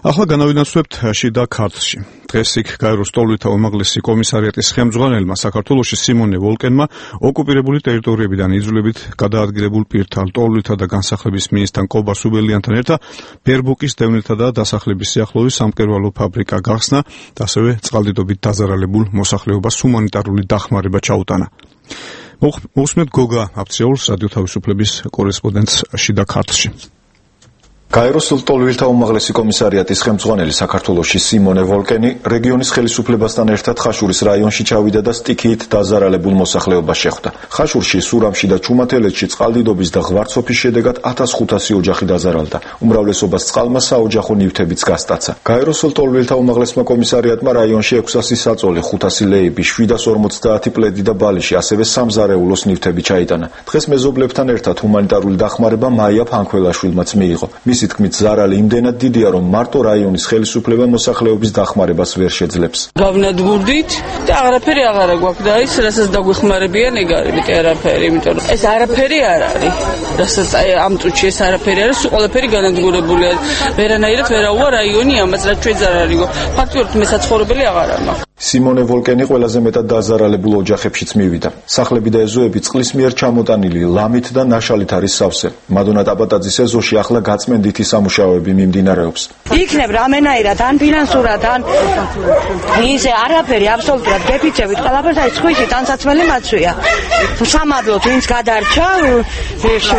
ახლა განავინაცვლებთ შიდა ქართლში. დღეს იქ გაეროს ტოლვითა უმაღლესი კომისარიატის ხელმძღვანელმა საქართველოში სიმონე ვოლკენმა ოკუპირებული ტერიტორიებიდან იძულებით გადაადგილებულ პირთა ტოლვითა და განსახლების მინისტრთან კობა სუბელიანთან ერთად ბერბუკის დევნილთა და დასახლების სიახლოვეს სამკერვალო ფაბრიკა გახსნა და ასევე წყალდიდობით დაზარალებულ მოსახლეობას ჰუმანიტარული დახმარება ჩაუტანა. მოусმენთ გოგა აფციოლს რადიო თავისუფლების კორესპონდენტს შიდა ქართლში. გაეროს ლტოლვილთა უმაღლესი კომისარიატის ხელმძღვანელი საქართველოში სიმონე ვოლკენი რეგიონის ხელისუფლებასთან ერთად ხაშურის რაიონში ჩავიდა და სტიქიით დაზარალებულ მოსახლეობას შეხვდა. ხაშურში, სურამში და ჩუმათელეთში წყალდიდობის და ღვარცოფის შედეგად 1500 ოჯახი დაზარალდა. უმრავლესობას წყალმა საოჯახო ნივთებიც გასტაცა. გაეროს ლტოლვილთა უმაღლესმა კომისარიატმა რაიონში 600 საწოლი, 500 ლეიბი, 750 პლედი და ბალიში, ასევე სამზარეულოს ნივთები ჩაიტანა. დღეს მეზობლებთან ერთად ჰუმანიტარული დახმარება მაია ფანქველაშვილმაც მიიღო. მისი თქმით, ზარალი იმდენად დიდია, რომ მარტო რაიონის ხელისუფლება მოსახლეობის დახმარებას ვერ შეძლებს. გავნადგურდით და აღარაფერი აღარა გვაქვს და ის რასაც დაგვეხმარებიან ეგ არის მეტი არაფერი, იმიტომ რომ ეს არაფერი არ არის. რასაც ამ წუთში ეს არაფერი არის, ყველაფერი განადგურებულია. ვერანაირად ვერაუვა რაიონი ამას, რაც ჩვენ ზარალიგო. ფაქტობრივად მე საცხოვრებელი აღარა მაქვს. სიმონე ვოლკენი ყველაზე მეტად დაზარალებულ ოჯახებშიც მივიდა. სახლები და ეზოები წყლის მიერ ჩამოტანილი ლამით და ნაშალით არის სავსე. მადონა ტაბატაძის ეზოში ახლა გაწმენდითი სამუშაოები მიმდინარეობს. იქნებ რამენაირად ან ფინანსურად ან ისე არაფერი აბსოლუტურად გეფიცებით ყველაფერს აი სხვისი ტანსაცმელი მაცვია. სამადლოდ ვინც გადარჩა,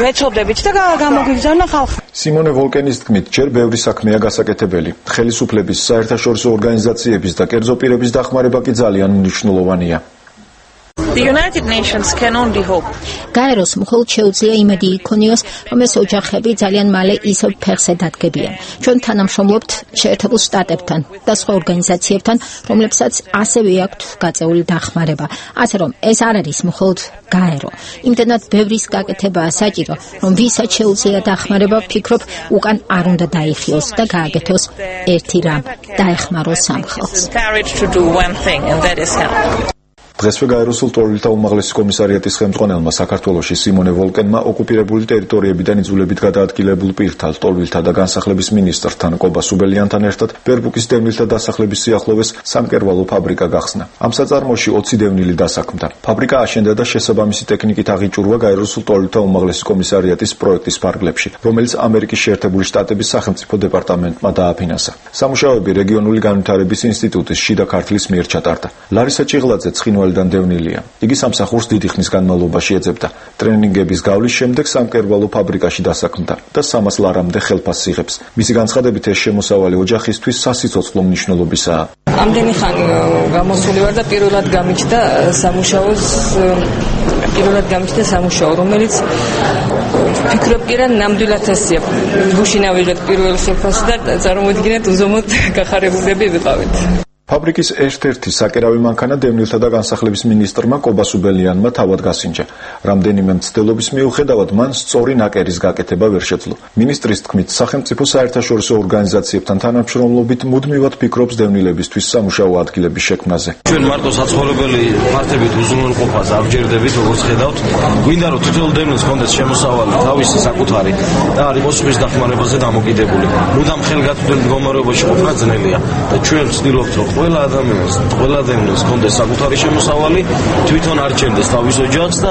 ვეცობდებით და გამოგვიგზავნა ხალხი. სიმონე ვოლკენის თქმით, ჯერ ბევრი საქმეა გასაკეთებელი. ხელისუფლების, საერთაშორისო ორგანიზაციების და კერძო პირების დახმარება კი ძალიან მნიშვნელოვანია. The United Nations can only hope. გაეროს მხოლოდ შეუძლია იმედი იქონიოს, რომ ეს ოჯახები ძალიან მალე ისევ ფეხზე დადგებიან. ჩვენ თანამშრომლობთ შეერთებულ შტატებთან და სხვა ორგანიზაციებთან, რომლებსაც ასევე აქვთ გაწეული დახმარება. ასე რომ ეს არ არის მხოლოდ გაერო. იმდენად ბევრის გაკეთებაა საჭირო, რომ ვისაც შეუძლია დახმარება, ვფიქრობ, უკან არ უნდა დაიხიოს და გააკეთოს ერთი რამ, დაეხმაროს ამ ხალხს. დღესვე გაეროს ლტოლვილთა უმაღლესი კომისარიატის ხელმძღვანელმა საქართველოში სიმონე ვოლკენმა ოკუპირებული ტერიტორიებიდან იძულებით გადაადგილებულ პირთა, ლტოლვილთა და განსახლების მინისტრთან კობა სუბელიანთან ერთად ბერბუკის დევნილთა დასახლების სიახლოვეს სამკერვალო ფაბრიკა გახსნა. ამ საწარმოში 20 დევნილი დასაქმდა. ფაბრიკა აშენდა და შესაბამისი ტექნიკით აღიჭურვა გაეროს ლტოლვილთა უმაღლესი კომისარიატის პროექტის ფარგლებში, რომელიც ამერიკის შეერთებული შტატების სახელმწიფო დეპარტამენტმა დააფინანსა. სამუშაოები რეგიონული განვითარების ინსტიტუტის შიდა ქართლის მიერ ჩატარდა. ლარისა ჭიღლაძე ცხინვალიდან დევნილია. იგი სამსახურს დიდი ხნის განმავლობაში ეძებდა. ტრენინგების გავლის შემდეგ სამკერვალო ფაბრიკაში დასაქმდა და 300 ლარამდე ხელფასს იღებს. მისი განცხადებით ეს შემოსავალი ოჯახისთვის სასიცოცხლო მნიშვნელობისაა. ამდენი ხანი გამოსული ვარ და პირველად გამიჩნდა სამუშაო, რომელიც ფიქრობ კი რა ნამდვილად ასია. გუშინ ავიღეთ პირველ ხელფასს და წარმოვიდგინეთ უზომოდ გახარებულები ვიყავით. ფაბრიკის ერთ-ერთი საკერავი მანქანა დევნილთა და განსახლების მინისტრმა კობა სუბელიანმა თავად გასინჯა. რამდენიმე მცდელობის მიუხედავად მან სწორი ნაკერის გაკეთება ვერ შეძლო. მინისტრის თქმით, სახელმწიფო საერთაშორისო ორგანიზაციებთან თანამშრომლობით მუდმივად ფიქრობს დევნილებისთვის სამუშაო ადგილების შექმნაზე. ჩვენ მარტო საცხოვრებელი ფართებით უზრუნველყოფას არ ვჯერდებით, როგორც ხედავთ. გვინდა რომ თითოეულ დევნილს ჰქონდეს შემოსავალი თავისი საკუთარი და არ იყოს სხვის დახმარებაზე დამოკიდებული. მუდამ ხელგაწვდელ მდგომარეობაში ყოფნა ძნელია და ჩვენ ვცდილობთ რომ ყველა ადამიანს, ყველა დევნილს ჰქონდეს საკუთარი შემოსავალი, თვითონ არ ჩენდეს თავის ოჯახს და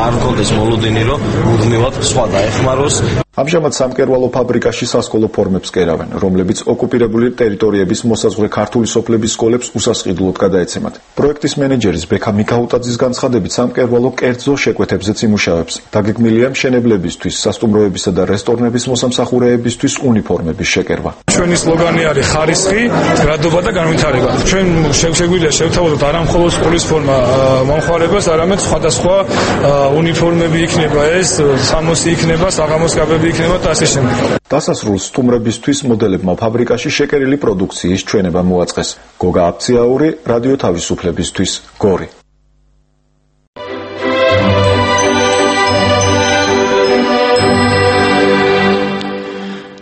არ ჰქონდეს მოლოდინი, რომ მუდმივად სხვა დაეხმაროს. ამჟამად სამკერვალო ფაბრიკაში სასკოლო ფორმებს კერავენ, რომლებიც ოკუპირებული ტერიტორიების მოსაზღვრე ქართული სოფლების სკოლებს უსასყიდლოდ გადაეცემათ. პროექტის მენეჯერის ბექა მიქაუტაძის განცხადებით, სამკერვალო კერძო შეკვეთებზეც იმუშავებს. დაგეგმილია მშენებლებისთვის, სასტუმროებისა და რესტორნების მოსამსახურეებისთვის უნიფორმების შეკერვა. ჩვენი სლოგანი არის ხარისხი, გრადობა და განვითარება. ჩვენ შეგვიძლია შევთავაზოთ არა მხოლოდ სკოლის ფორმა მომხმარებას, არამედ სხვადასხვა უნიფორმები იქნება ეს, სამოსი იქნება, საღამოს კაბები იქნება და ასე შემდეგ. დასასრულს სტუმრებისთვის მოდელებმა ფაბრიკაში შეკერილი პროდუქციის ჩვენება მოაწყეს. გოგა აფციაური, რადიო თავისუფლებისთვის, გორი.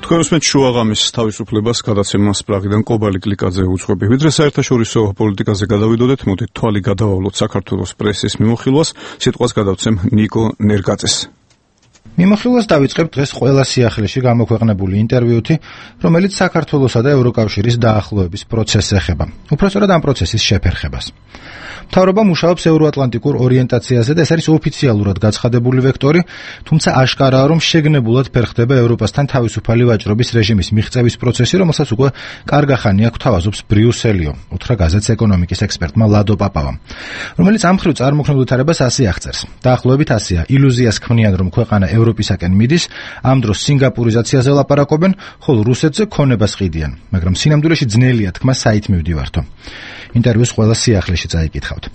თქვენ უსმენთ შუაღამის თავისუფლებას გადაცემას პრაღიდან კობალი კლიკაძე უძღვები. ვიდრე საერთაშორისო პოლიტიკაზე გადავიდოდეთ, მოდით თვალი გადავავლოთ საქართველოს პრესის მიმოხილვას, სიტყვას გადავცემ ნიკო ნერგაძეს. მიმოხილვას დავიწყებ დღეს ყველა სიახლეში გამოქვეყნებული ინტერვიუთი, რომელიც საქართველოსა და ევროკავშირის დაახლოების პროცესს ეხება. უпростоრად ამ პროცესის შეფერხებას. მთავრობა მუშაობს ევროატლანტიკურ ორიენტაციაზე და ეს არის ოფიციალურად გაცხადებული ვექტორი, თუმცა აშკარაა, რომ შეგნებულად ფერხდება ევროპასთან თავისუფალი ვაჭრობის რეჟიმის მიღწევის პროცესი, რომელსაც უკვე კარგა ხანი აქვს თავაზობს ბრიუსელიო, უთხრა გაზეთს ეკონომიკის ექსპერტმა ლადო პაპავამ, რომელიც ამ მხრივ წარმოქმნილ ვითარებას ასე აღწერს. დაახლოებით ასეა, ილუზიას ქმნიან, რომ ქვეყანა ევროპისაკენ მიდის, ამ დროს სინგაპურიზაციაზე ლაპარაკობენ, ხოლო რუსეთზე ქონებას ყიდიან, მაგრამ სინამდვილეში ძნელია თქმა საით მივდივართო. ინტერვიუს ყველა სიახლეში წაიკითხავთ.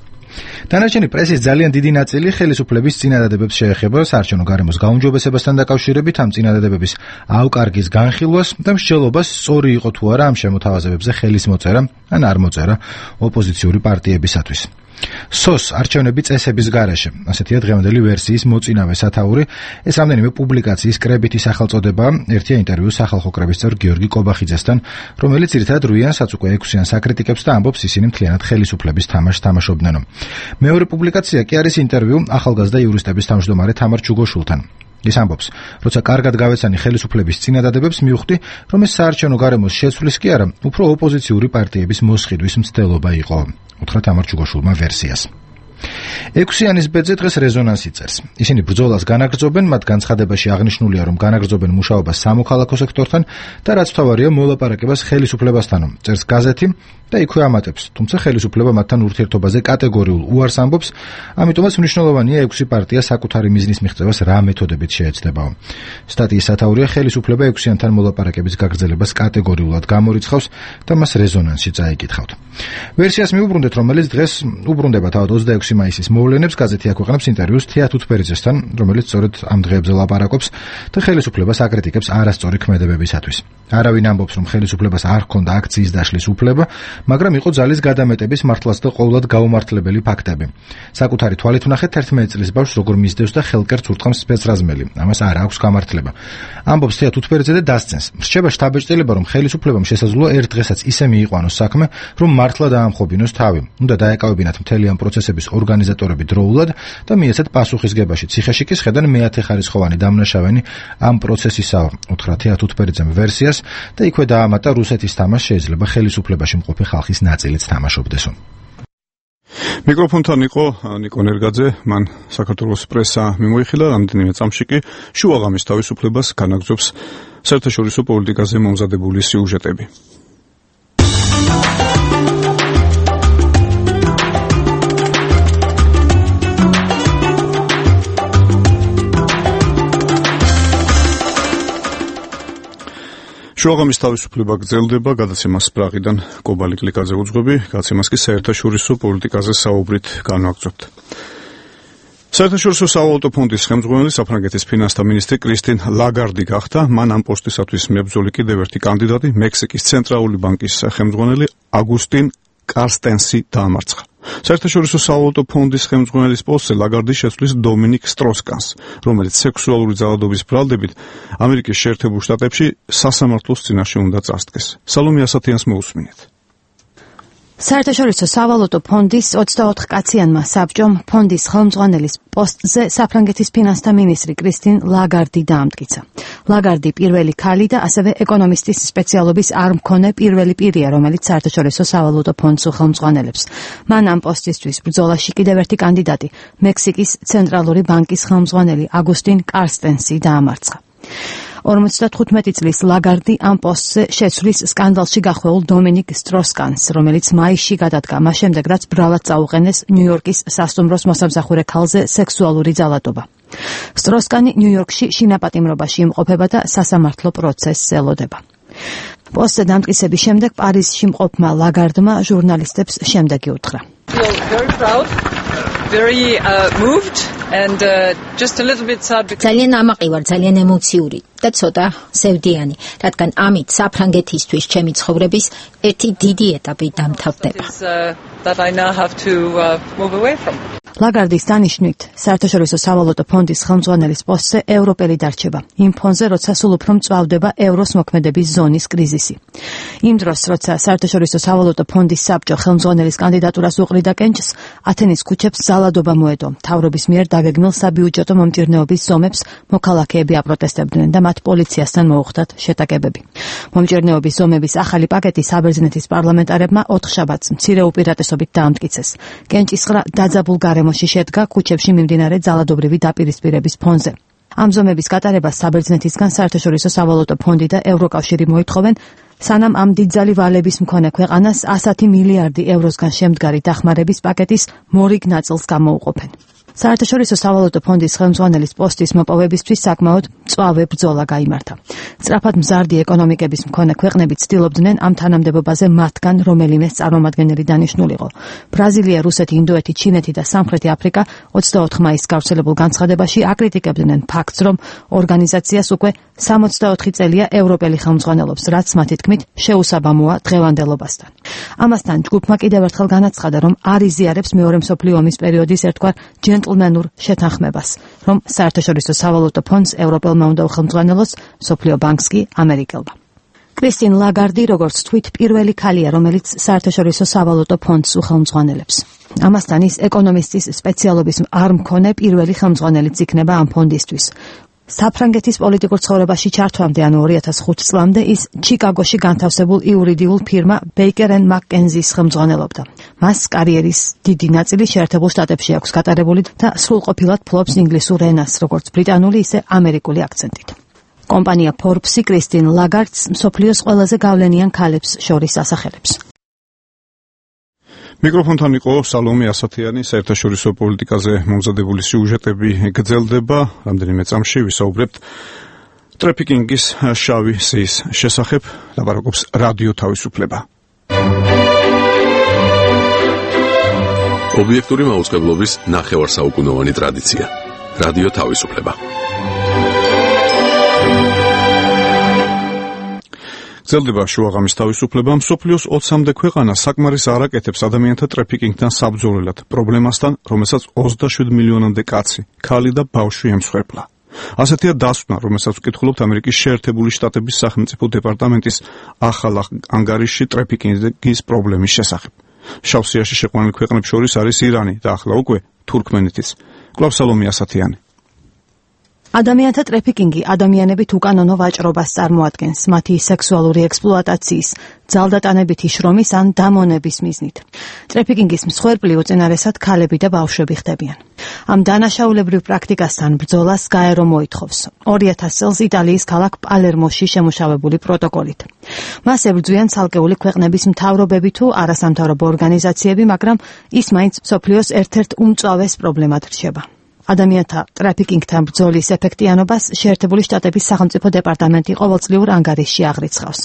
დანარჩენი პრესის ძალიან დიდი ნაწილი ხელისუფლების წინადადებებს შეეხება საარჩევნო გარემოს გაუმჯობესებასთან დაკავშირებით, ამ წინადადებების ავკარგის განხილვას და მსჯელობას სწორი იყო თუ არა ამ შემოთავაზებებზე ხელის მოწერა ან არ მოწერა ოპოზიციური პარტიებისათვის. SOS არჩევნები წესების გარეშე, ასეთია დღევანდელი ვერსიის მოწინავე სათაური. ეს რამდენიმე პუბლიკაციის კრებითი სახელწოდება, ერთია ინტერვიუ სახალხო კრების წევრ გიორგი კობახიძესთან, რომელიც ძირითადად რუიანს უკვე 6-იან საკრიტიკებს და ამბობს ისინი მთლიანად ხელისუფლების თამაშს თამაშობდნენო. მეორე პუბლიკაცია კი არის ინტერვიუ ახალგაზრდა იურისტების თავმჯდომარე თამარ ჩუგოშულთან. ის ამბობს, როცა კარგად გავეცანი ხელისუფლების წინადადებებს, მივხვდი, რომ ეს საარჩევნო გარემოს შეცვლის კი არა, უფრო ოპოზიციური პარტიების მოსყიდვის მცდელობა იყო. უთხრა თამარ ჩუგოშულმა ვერსიას. 6-იანის ბედზე დღეს რეზონანსი წერს. ისინი ბრძოლას განაგრძობენ, მათ განცხადებაში აღნიშნულია, რომ განაგრძობენ მუშაობას სამოქალაქო სექტორთან და რაც თავარია მოლაპარაკებას ხელისუფლებასთანო. წერს გაზეთი და იქვე ამატებს, თუმცა ხელისუფლება მათთან ურთიერთობაზე კატეგორიულ უარს ამბობს, ამიტომაც მნიშვნელოვანია 6 პარტია საკუთარი მიზნის მიღწევას რა მეთოდებით შეეცდებაო. სტატიის სათაურია ხელისუფლება 6-იანთან მოლაპარაკების გაგრძელებას კატეგორიულად გამორიცხავს და მას რეზონანსში წაიკითხავთ. ვერსიას მიუბრუნდეთ, რომელიც დღეს უბრუნდება თავად 26 მაისის მოვლენებს, გაზეთი აქვეყნებს ინტერვიუს თეა თუთბერიძესთან, რომელიც სწორედ ამ დღეებზე ლაპარაკობს და ხელისუფლებას აკრიტიკებს არასწორი ქმედებებისათვის. არავინ ამბობს, რომ ხელისუფლებას არ ჰქონდა აქციის დაშლის უფლება, მაგრამ იყო ძალის გადამეტების მართლაც და ყოვლად გაუმართლებელი ფაქტები. საკუთარი თვალით ვნახეთ 11 წლის ბავშვს როგორ მისდევს და ხელკერts ურტყამს სპეცრაზმელი. ამას არ აქვს გამართლება. ამბობს თეა თუთბერიძე და დასცენს. რჩება შთაბეჭდილება, რომ ხელისუფლებამ შესაძლოა ერთ დღესაც ისე მიიყვანოს საქმე, რომ მართლა დაამხობინოს თავი. უნდა დაეკავებინათ მთელი ამ პროცესების ორგანიზატორები დროულად და მიეცათ პასუხისგებაში. ციხეში კი შედან მეათეხარისხოვანი დამნაშავენი ამ პროცესისაა. უთხრა თეა თუთბერიძემ ვერსიას და იქვე დაამატა რუსეთის თამაშს შეიძლება ხელისუფლებაში მყოფი ხალხის ნაწილიც თამაშობდესო. მიკროფონთან იყო ნიკო ნერგაძე, მან საქართველოს პრესა მიმოიხილა, რამდენიმე წამში კი შუაღამის თავისუფლებას განაგრძობს საერთაშორისო პოლიტიკაზე მომზადებული სიუჟეტები. შუაღამის თავისუფლება გრძელდება, გადაცემას პრაღიდან კობალი კლიკაძე უძღვები, გადაცემას კი საერთაშორისო პოლიტიკაზე საუბრით განვაგრძობთ. საერთაშორისო სავალუტო ფონდის ხელმძღვანელი საფრანგეთის ფინანსთა მინისტრი კრისტინ ლაგარდი გახდა, მან ამ პოსტისათვის მებრძოლი კიდევ ერთი კანდიდატი, მექსიკის ცენტრალური ბანკის ხელმძღვანელი აგუსტინ კარსტენსი დაამარცხა. საერთაშორისო სავალუტო ფონდის ხელმძღვანელის პოსტზე ლაგარდი შეცვლის დომინიკ სტროს-კანს, რომელიც სექსუალური ძალადობის ბრალდებით ამერიკის შეერთებულ შტატებში სასამართლოს წინაშე უნდა წასდგეს. სალომე ასათიანს მოусმინეთ. საერთაშორისო სავალუტო ფონდის 24 კაციანმა საბჭომ ფონდის ხელმძღვანელის პოსტზე საფრანგეთის ფინანსთა მინისტრი კრისტინ ლაგარდი დაამტკიცა. ლაგარდი პირველი ქალი და ასევე ეკონომისტის სპეციალობის არ მქონე პირველი პირია, რომელიც საერთაშორისო სავალუტო ფონდს უხელმძღვანელებს. მან ამ პოსტისთვის ბრძოლაში კიდევ ერთი კანდიდატი, მექსიკის ცენტრალური ბანკის ხელმძღვანელი აგუსტინ კარსტენსი დაამარცხა. 55 წლის ლაგარდი ამ პოსტზე შეცვლის სკანდალში გახვეულ დომინიკ სტროს-კანს, რომელიც მაისში გადადგა, მას შემდეგ რაც ბრალად წაუყენეს ნიუ-იორკის სასტუმროს მოსამსახურე ქალზე სექსუალური ძალადობა. სტროს-კანი ნიუ-იორკში შინაპატიმრობაში იმყოფება და სასამართლო პროცესს ელოდება. პოსტზე დამტკიცების შემდეგ პარიზში მყოფმა ლაგარდმა ჟურნალისტებს შემდეგი უთხრა. ძალიან ამაყი ვარ, ძალიან ემოციური და ცოტა სევდიანი, რადგან ამით საფრანგეთისთვის ჩემი ცხოვრების ერთი დიდი ეტაპი დამთავრდება. ლაგარდის დანიშვნით, საერთაშორისო სავალუტო ფონდის ხელმძღვანელის პოსტზე ევროპელი დარჩება. იმ ფონზე, როცა სულ უფრო მწვავდება ევროს მოქმედების ზონის კრიზისი. იმ დროს, როცა საერთაშორისო სავალუტო ფონდის საბჭო ხელმძღვანელის კანდიდატურას უყრიდა კენჭს, ათენის ქუჩებს ძალადობა მოედო. მთავრობის მიერ დაგეგმილ საბიუჯეტო მომჭირნეობის ზომებს მოქალაქეები აპროტესტებდნენ და მათ პოლიციასთან მოუხდათ შეტაკებები. მომჭირნეობის ზომების ახალი პაკეტი საბერძნეთის პარლამენტარებმა 4 შაბათს მცირე უპირატესობით დაამტკიცეს. კენჭისყრა დაძაბულ გარემოში შედგა ქუჩებში მიმდინარე ძალადობრივი დაპირისპირების ფონზე. ამ ზომების გატარებას საბერძნეთისგან საერთაშორისო სავალუტო ფონდი და ევროკავშირი მოითხოვენ, სანამ ამ დიდძალი ვალების მქონე ქვეყანას 110 მილიარდი ევროსგან შემდგარი დახმარების პაკეტის მორიგ ნაწილს გამოუყოფენ. საერთაშორისო სავალუტო ფონდის ხელმძღვანელის პოსტის მოპოვებისთვის საკმაოდ მწვავე ბრძოლა გაიმართა. სწრაფად მზარდი ეკონომიკების მქონე ქვეყნები ცდილობდნენ ამ თანამდებობაზე მათგან რომელიმეს წარმომადგენელი დანიშნულიყო. ბრაზილია, რუსეთი, ინდოეთი, ჩინეთი და სამხრეთი აფრიკა 24 მაისს გავრცელებულ განცხადებაში აკრიტიკებდნენ ფაქტს, რომ ორგანიზაციას უკვე 64 წელია ევროპელი ხელმძღვანელობს, რაც მათი თქმით შეუსაბამოა დღევანდელობასთან. ამასთან ჯგუფმა კიდევ ერთხელ განაცხადა, რომ არ იზიარებს მეორე მსოფლიო ომის პერიოდის ერთგვარ ჯენტლმენურ შეთანხმებას, რომ საერთაშორისო სავალუტო ფონდს ევროპელმა უნდა უხელმძღვანელოს, მსოფლიო ბანკს კი ამერიკელმა. კრისტინ ლაგარდი, როგორც თვით, პირველი ქალია, რომელიც საერთაშორისო სავალუტო ფონდს უხელმძღვანელებს. ამასთან ის ეკონომისტის სპეციალობის არ მქონე პირველი ხელმძღვანელიც იქნება ამ ფონდისთვის. საფრანგეთის პოლიტიკურ ცხოვრებაში ჩართვამდე, ანუ 2005 წლამდე, ის ჩიკაგოში განთავსებულ იურიდიულ ფირმა Baker & McKenzie-ს ხელმძღვანელობდა. მას კარიერის დიდი ნაწილი შეერთებულ შტატებში აქვს გატარებული და სრულყოფილად ფლობს ინგლისურ ენას, როგორც ბრიტანული, ისე ამერიკული აქცენტით. კომპანია Forbes-ი კრისტინ ლაგარდს მსოფლიოს ყველაზე გავლენიან ქალებს შორის ასახელებს. მიკროფონთან იყო სალომე ასათიანი, საერთაშორისო პოლიტიკაზე მომზადებული სიუჟეტები გრძელდება. რამდენიმე წამში ვისაუბრებთ ტრაფიკინგის შავი სიის შესახებ, ლაპარაკობს რადიო თავისუფლება. ობიექტური მაუწყებლობის ნახევარსაუკუნოვანი ტრადიცია. რადიო თავისუფლება. გრძელდება შუაღამის თავისუფლება. მსოფლიოს 20-მდე ქვეყანა საკმარის არ აკეთებს ადამიანთა ტრაფიკინგთან საბრძოლველად პრობლემასთან, რომელსაც 27 მილიონამდე კაცი, ქალი და ბავშვი ემსხვერპლა. ასეთია დასკვნა, რომელსაც ვკითხულობთ ამერიკის შეერთებული შტატების სახელმწიფო დეპარტამენტის ახალ ანგარიშში ტრაფიკინგის პრობლემის შესახებ. შავ სიაში შეყვანილ ქვეყნებს შორის არის ირანი და ახლა უკვე თურქმენეთის. კვლავ სალომე ასათიანი. ადამიანთა ტრაფიკინგი ადამიანებით უკანონო ვაჭრობას წარმოადგენს, მათი სექსუალური ექსპლუატაციის, ძალდატანებითი შრომის ან დამონების მიზნით. ტრაფიკინგის მსხვერპლი უწინარესად ქალები და ბავშვები ხდებიან. ამ დანაშაულებრივ პრაქტიკასთან ბრძოლას გაერო მოითხოვს 2000 წელს იტალიის ქალაქ პალერმოში შემუშავებული პროტოკოლით. მას ებრძვიან ცალკეული ქვეყნების მთავრობები თუ არასამთავრობო ორგანიზაციები, მაგრამ ის მაინც მსოფლიოს ერთ-ერთ უმწვავეს პრობლემად რჩება. ადამიანთა ტრაფიკინგთან ბრძოლის ეფექტიანობას შეერთებული შტატების სახელმწიფო დეპარტამენტი ყოველწლიურ ანგარიშში აღრიცხავს.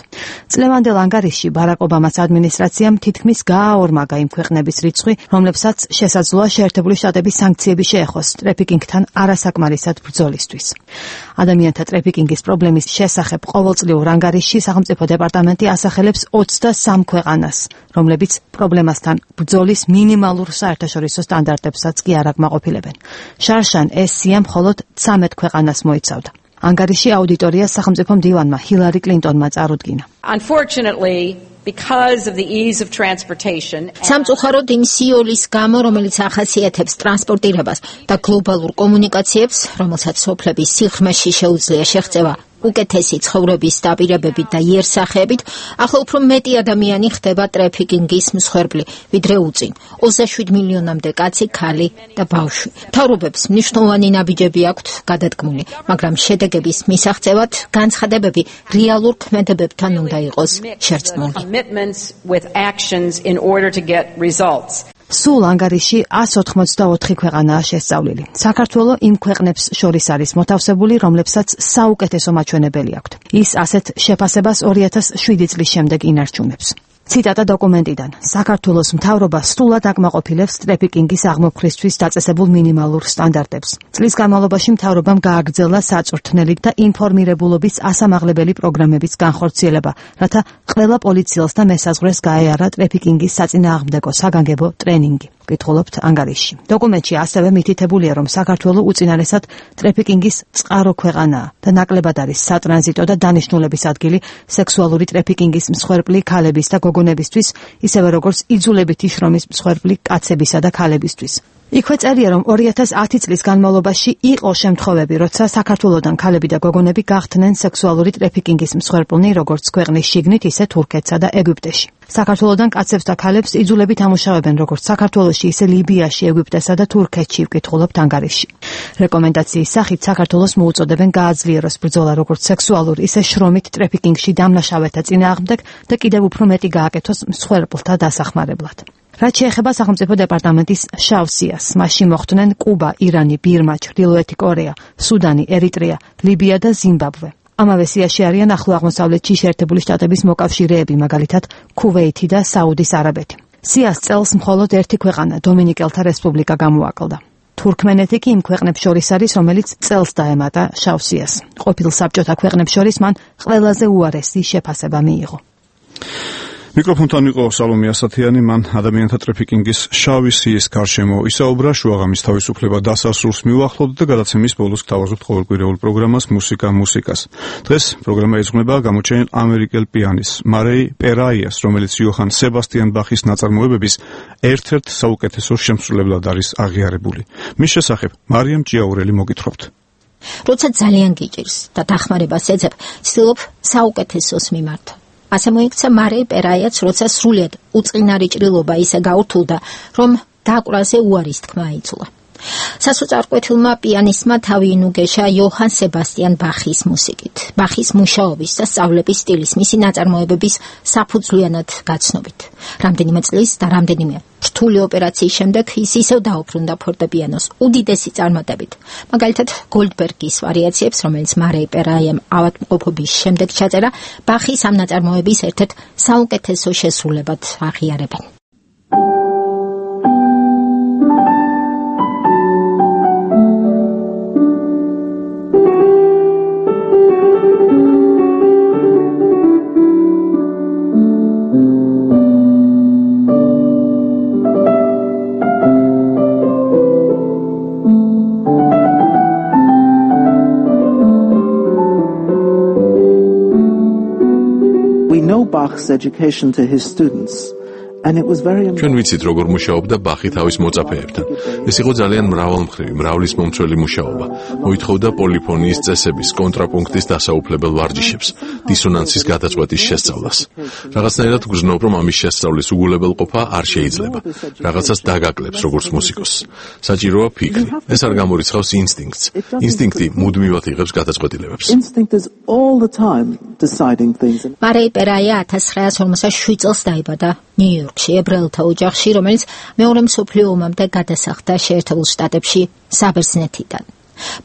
წლევანდელ ანგარიშში ბარაკ ობამას ადმინისტრაციამ თითქმის გააორმაგა იმ ქვეყნების რიცხვი, რომლებსაც შესაძლოა შეერთებული შტატების სანქციები შეეხოს ტრაფიკინგთან არასაკმარისად ბრძოლისთვის. ადამიანთა ტრაფიკინგის პრობლემის შესახებ ყოველწლიურ ანგარიშში სახელმწიფო დეპარტამენტი ასახელებს 23 ქვეყანას, რომლებიც პრობლემასთან ბრძოლის მინიმალურ საერთაშორისო სტანდარტებსაც კი არ აკმაყოფილებენ. შარშან ეს სია მხოლოდ 13 ქვეყანას მოიცავდა. ანგარიში აუდიტორიას სახელმწიფო მდივანმა ჰილარი კლინტონმა წარუდგინა. Unfortunately, because of the ease of transportation, სამწუხაროდ იმ სიოლის გამო, რომელიც ახასიათებს ტრანსპორტირებას და გლობალურ კომუნიკაციებს, რომელსაც სოფლების სიღრმეში შეუძლია შეღწევა უკეთესი ცხოვრების დაპირებებით და იერსახებით, ახლა უფრო მეტი ადამიანი ხდება ტრაფიკინგის მსხვერპლი, ვიდრე უწინ. 27 მილიონამდე კაცი, ქალი და ბავშვი. მთავრობებს მნიშვნელოვანი ნაბიჯები აქვთ გადადგმული, მაგრამ შედეგების მისაღწევად განცხადებები რეალურ ქმედებებთან უნდა იყოს შერწყმული. სულ ანგარიში 184 ქვეყანაა შესწავლილი. საქართველო იმ ქვეყნებს შორის არის მოთავსებული, რომლებსაც საუკეთესო მაჩვენებელი აქვთ. ის ასეთ შეფასებას 2007 წლის შემდეგ ინარჩუნებს. ციტატა დოკუმენტიდან. საქართველოს მთავრობა სრულად აკმაყოფილებს ტრაფიკინგის აღმოფხვრისთვის დაწესებულ მინიმალურ სტანდარტებს. წლის განმავლობაში მთავრობამ გააგრძელა საწვრთნელით და ინფორმირებულობის ასამაღლებელი პროგრამების განხორციელება, რათა ყველა პოლიციელს და მესაზღვრეს გაეარა ტრაფიკინგის საწინააღმდეგო საგანგებო ტრენინგი. ვკითხულობთ ანგარიშში. დოკუმენტში ასევე მითითებულია, რომ საქართველო უწინარესად ტრაფიკინგის წყარო ქვეყანაა და ნაკლებად არის სატრანზიტო და დანიშნულების ადგილი სექსუალური ტრაფიკინგის მსხვერპლი ქალების და გოგონებისთვის, ისევე როგორც იძულებითი შრომის მსხვერპლი კაცებისა და ქალებისთვის. იქვე წერია, რომ 2010 წლის განმავლობაში იყო შემთხვევები, როცა საქართველოდან ქალები და გოგონები გახდნენ სექსუალური ტრაფიკინგის მსხვერპლნი, როგორც ქვეყნის შიგნით, ისე თურქეთსა და ეგვიპტეში. საქართველოდან კაცებს და ქალებს იძულებით ამუშავებენ, როგორც საქართველოში, ისე ლიბიაში, ეგვიპტესა და თურქეთში, ვკითხულობთ ანგარიშში. რეკომენდაციის სახით საქართველოს მოუწოდებენ გააძლიეროს ბრძოლა როგორც სექსუალურ, ისე შრომით ტრაფიკინგში დამნაშავეთა წინააღმდეგ და კიდევ უფრო მეტი გააკეთოს მსხვერპლთა დასახმარებლად. რაც შეეხება სახელმწიფო დეპარტამენტის შავ სიას, მასში მოხვდნენ კუბა, ირანი, ბირმა, ჩრდილოეთი კორეა, სუდანი, ერიტრეა, ლიბია და ზიმბაბვე. ამავე სიაში არიან ახლო აღმოსავლეთში შეერთებული შტატების მოკავშირეები, მაგალითად ქუვეითი და საუდის არაბეთი. სიას წელს მხოლოდ ერთი ქვეყანა, დომინიკელთა რესპუბლიკა გამოაკლდა. თურქმენეთი კი იმ ქვეყნებს შორის არის, რომელიც წელს დაემატა შავ სიას. ყოფილ საბჭოთა ქვეყნებს შორის მან ყველაზე უარესი შეფასება მიიღო. მიკროფონთან იყო სალომე ასათიანი, მან ადამიანთა ტრაფიკინგის შავი სიის გარშემო ისაუბრა, შუაღამის თავისუფლება დასასრულს მიუახლოვდა და გადაცემის ბოლოს გთავაზობთ ყოველკვირეულ პროგრამას მუსიკას. დღეს პროგრამა ეძღვნება გამოჩენილ ამერიკელ პიანის მარეი პერაიას, რომელიც იოჰან სებასტიან ბახის ნაწარმოებების ერთ-ერთ საუკეთესო შემსრულებლად არის აღიარებული. მის შესახებ მარიამ ჭიაურელი მოგითხრობთ. როცა ძალიან გიჭირს და დახმარებას ეძებ, ვცდილობ საუკეთესოს მიმართო. ასე მოიქცა მარეი პერაიაც, როცა სრულიად უწყინარი ჭრილობა ისე გაურთულდა, რომ დაკვრაზე უარის თქმა აიწულა. სასოწარკვეთილმა პიანისტმა თავი ინუგეშა იოჰან სებასტიან ბახის მუსიკით, ბახის მუშაობის და სწავლების სტილის, მისი ნაწარმოებების საფუძვლიანად გაცნობით. რამდენიმე წლის და რამდენიმე რთული ოპერაციის შემდეგ ის ისევ დაუბრუნდა ფორტეპიანოს უდიდესი წარმატებით. მაგალითად, გოლდბერგის ვარიაციებს, რომელიც მარეი პერაიამ ავადმყოფობის შემდეგ ჩაწერა, ბახის ამ ნაწარმოების ერთ-ერთ საუკეთესო შესრულებად აღიარებენ. Bach's education to his students, and it was very ჩვენ ვიცით როგორ მუშაობდა ბახი თავის მოწაფეებთან. ეს იყო ძალიან მრავალმხრივი, მრავლის მომცველი მუშაობა. მოითხოვდა პოლიფონიის წესების, კონტრაპუნქტის დასაუფლებელ ვარჯიშებს, დისონანსის გადაწყვეტის შესწავლას. რაღაცნაირად გრძნობ, რომ ამის შესწავლის უგულებელყოფა არ შეიძლება. რაღაცას დაგაკლებს როგორც მუსიკოსს. საჭიროა ფიქრი. ეს არ გამორიცხავს ინსტინქტს. ინსტინქტი მუდმივად იღებს გადაწყვეტილებებს. მარეი პერაია 1947 წელს დაიბადა ნიუ-იორკში, ებრაელთა ოჯახში, რომელიც მეორე მსოფლიო ომამდე გადასახლდა შეერთებულ შტატებში საბერძნეთიდან.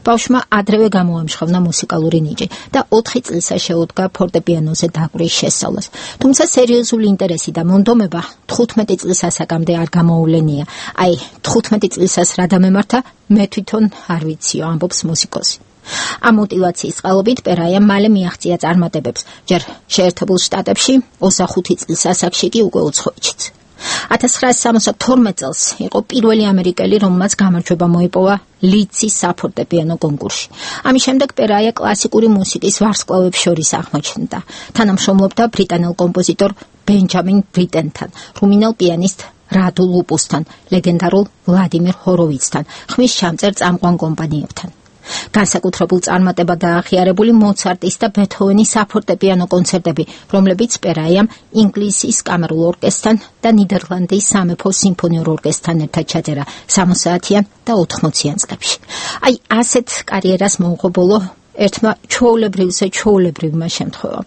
ბავშვმა ადრევე გამოამჟღავნა მუსიკალური ნიჭი და 4 წლისა შეუდგა ფორტეპიანოზე დაკვრის შესწავლას. თუმცა სერიოზული ინტერესი და მონდომება 15 წლის ასაკამდე არ გამოულენია. აი, 15 წლისას რა დამემართა, მე თვითონ არ ვიციო, ამბობს მუსიკოსი. ამ мотиваციის წყალობით პერაიამ მალე მიაღწია წარმატებებს, ჯერ შეერთებულ შტატებში, 25 წლის ასაკში კი უკვე უცხოეთშიც. 1972 წელს იყო პირველი ამერიკელი, რომელმაც გამარჯვება მოიპოვა ლიცის საფორტეპიანო კონკურსში. ამის შემდეგ პერაია კლასიკური მუსიკის ვარსკვლავებს შორის აღმოჩნდა. თანამშრომლობდა ბრიტანელ კომპოზიტორ ბენჯამინ ბრიტენთან, რუმინელ პიანისტ რადუ ლუპუსთან, ლეგენდარულ ვლადიმირ ჰოროვიცთან, ხმის ჩამწერ წამყვან კომპანიებთან. განსაკუთრებულ წარმატებად დაახიარებული მოცარტის და ბეთჰოვენის საფორტეპიანო კონცერტები, რომლებიც პერაიამ ინგლისის კამერულ ორკესტრთან და ნიდერლანდის სამეფო სიმფონიურ ორკესტრთან ერთად ჩაწერა 60-იან და 80-იან წლებში. აი, ასეთ კარიერას მოუღო ბოლო ერთმა ჩვეულებრივმა შემთხვევამ.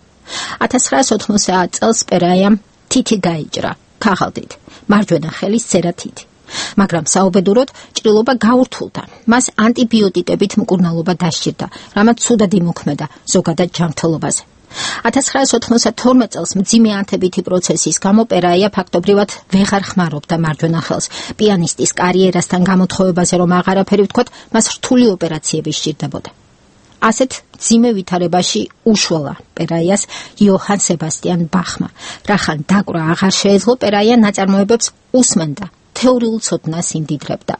1980 წელს პერაიამ თითი გაიჭრა, ქაღალდით, მარჯვენა ხელის წერა თითი. მაგრამ საუბედუროდ ჭრილობა გაურთულდა. მას ანტიბიოტიკებით მკურნალობა დასჭირდა, რამაც ცუდად იმოქმედა ზოგადად ჯანმრთელობაზე. 1992 წელს მძიმე ანთებითი პროცესის გამო პერაია ფაქტობრივად ვეღარ ხმარობდა მარჯვენა ხელს. პიანისტის კარიერასთან გამოთხოვებაზე რომ აღარაფერი ვთქვათ, მას რთული ოპერაციები სჭირდებოდა. ასეთ მძიმე ვითარებაში უშველა პერაიას იოჰან სებასტიან ბახმა. რახან დაკვრა აღარ შეეძლო, პერაია ნაწარმოებებს უსმენდა. თეორიულ ცოდნას იმდიდრებდა.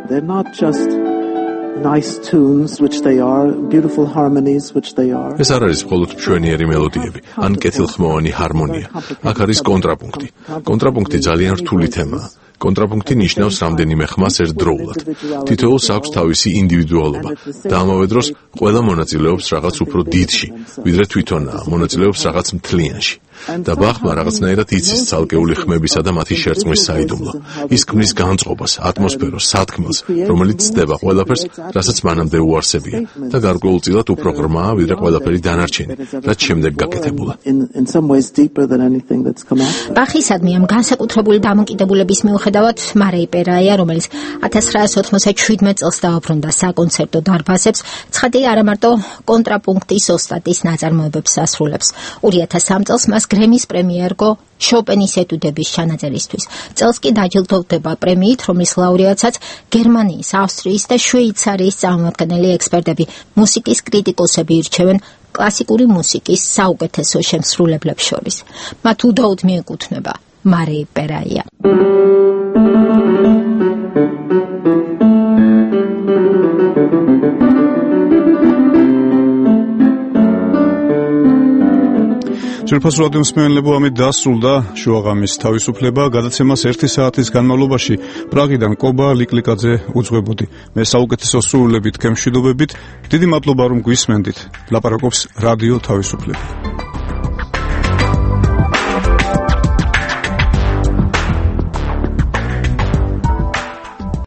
They're not just nice tunes, which they are, beautiful harmonies, which they are. ეს არ არის მხოლოდ მშვენიერი მელოდიები, ან კეთილხმოვანი ჰარმონია. აქ არის კონტრაპუნქტი. კონტრაპუნქტი ძალიან რთული თემაა. კონტრაპუნქტი ნიშნავს რამდენიმე ხმას ერთდროულად. თითოეულს აქვს თავისი ინდივიდუალობა და ამავე დროს ყველა მონაწილეობს რაღაც უფრო დიდში, ვიდრე თვითონაა, მონაწილეობს რაღაც მთლიანში. და ბახმა რაღაცნაირად იცის ცალკეული ხმებისა და მათი შერწყმის საიდუმლო. ის ქმნის განწყობას, ატმოსფეროს, სათქმელს, რომელიც ცდება ყველაფერს, რასაც მანამდე უარსებია და გარკვეულწილად უფრო ღრმაა, ვიდრე ყველაფერი დანარჩენი, რაც შემდეგ გაკეთებულა. ბახისადმი ამ განსაკუთრებული დამოკიდებულების მიუხედავად მარეი პერაია, რომელიც 1997 წელს დაუბრუნდა საკონცერტო დარბაზებს, ცხადია არა მარტო კონტრაპუნქტის ოსტატის ნაწარმოებებს ასრულებს. 2003 წელს მას გრემის პრემია ერგო შოპენის ეტუდების ჩანაწერისთვის. წელს კი დაჯილდოვდება პრემიით, რომლის ლაურეატსაც გერმანიის, ავსტრიის და შვეიცარიის წარმომადგენელი ექსპერტები, მუსიკის კრიტიკოსები ირჩევენ კლასიკური მუსიკის საუკეთესო შემსრულებლებს შორის. მათ უდაოდ მიეკუთვნება მარეი პერაია. ძვირფასურად მსმენელებო, ამით დასრულდა შუაღამის თავისუფლება. გადაცემას 1 საათის განმავლობაში პრაღიდან კობა ლიკლიკაძე უძღვებოდი. მე საუკეთესო სრულებით გემშვიდობებით. დიდი მადლობა რომ გვისმენდით. ლაპარაკობს რადიო თავისუფლება.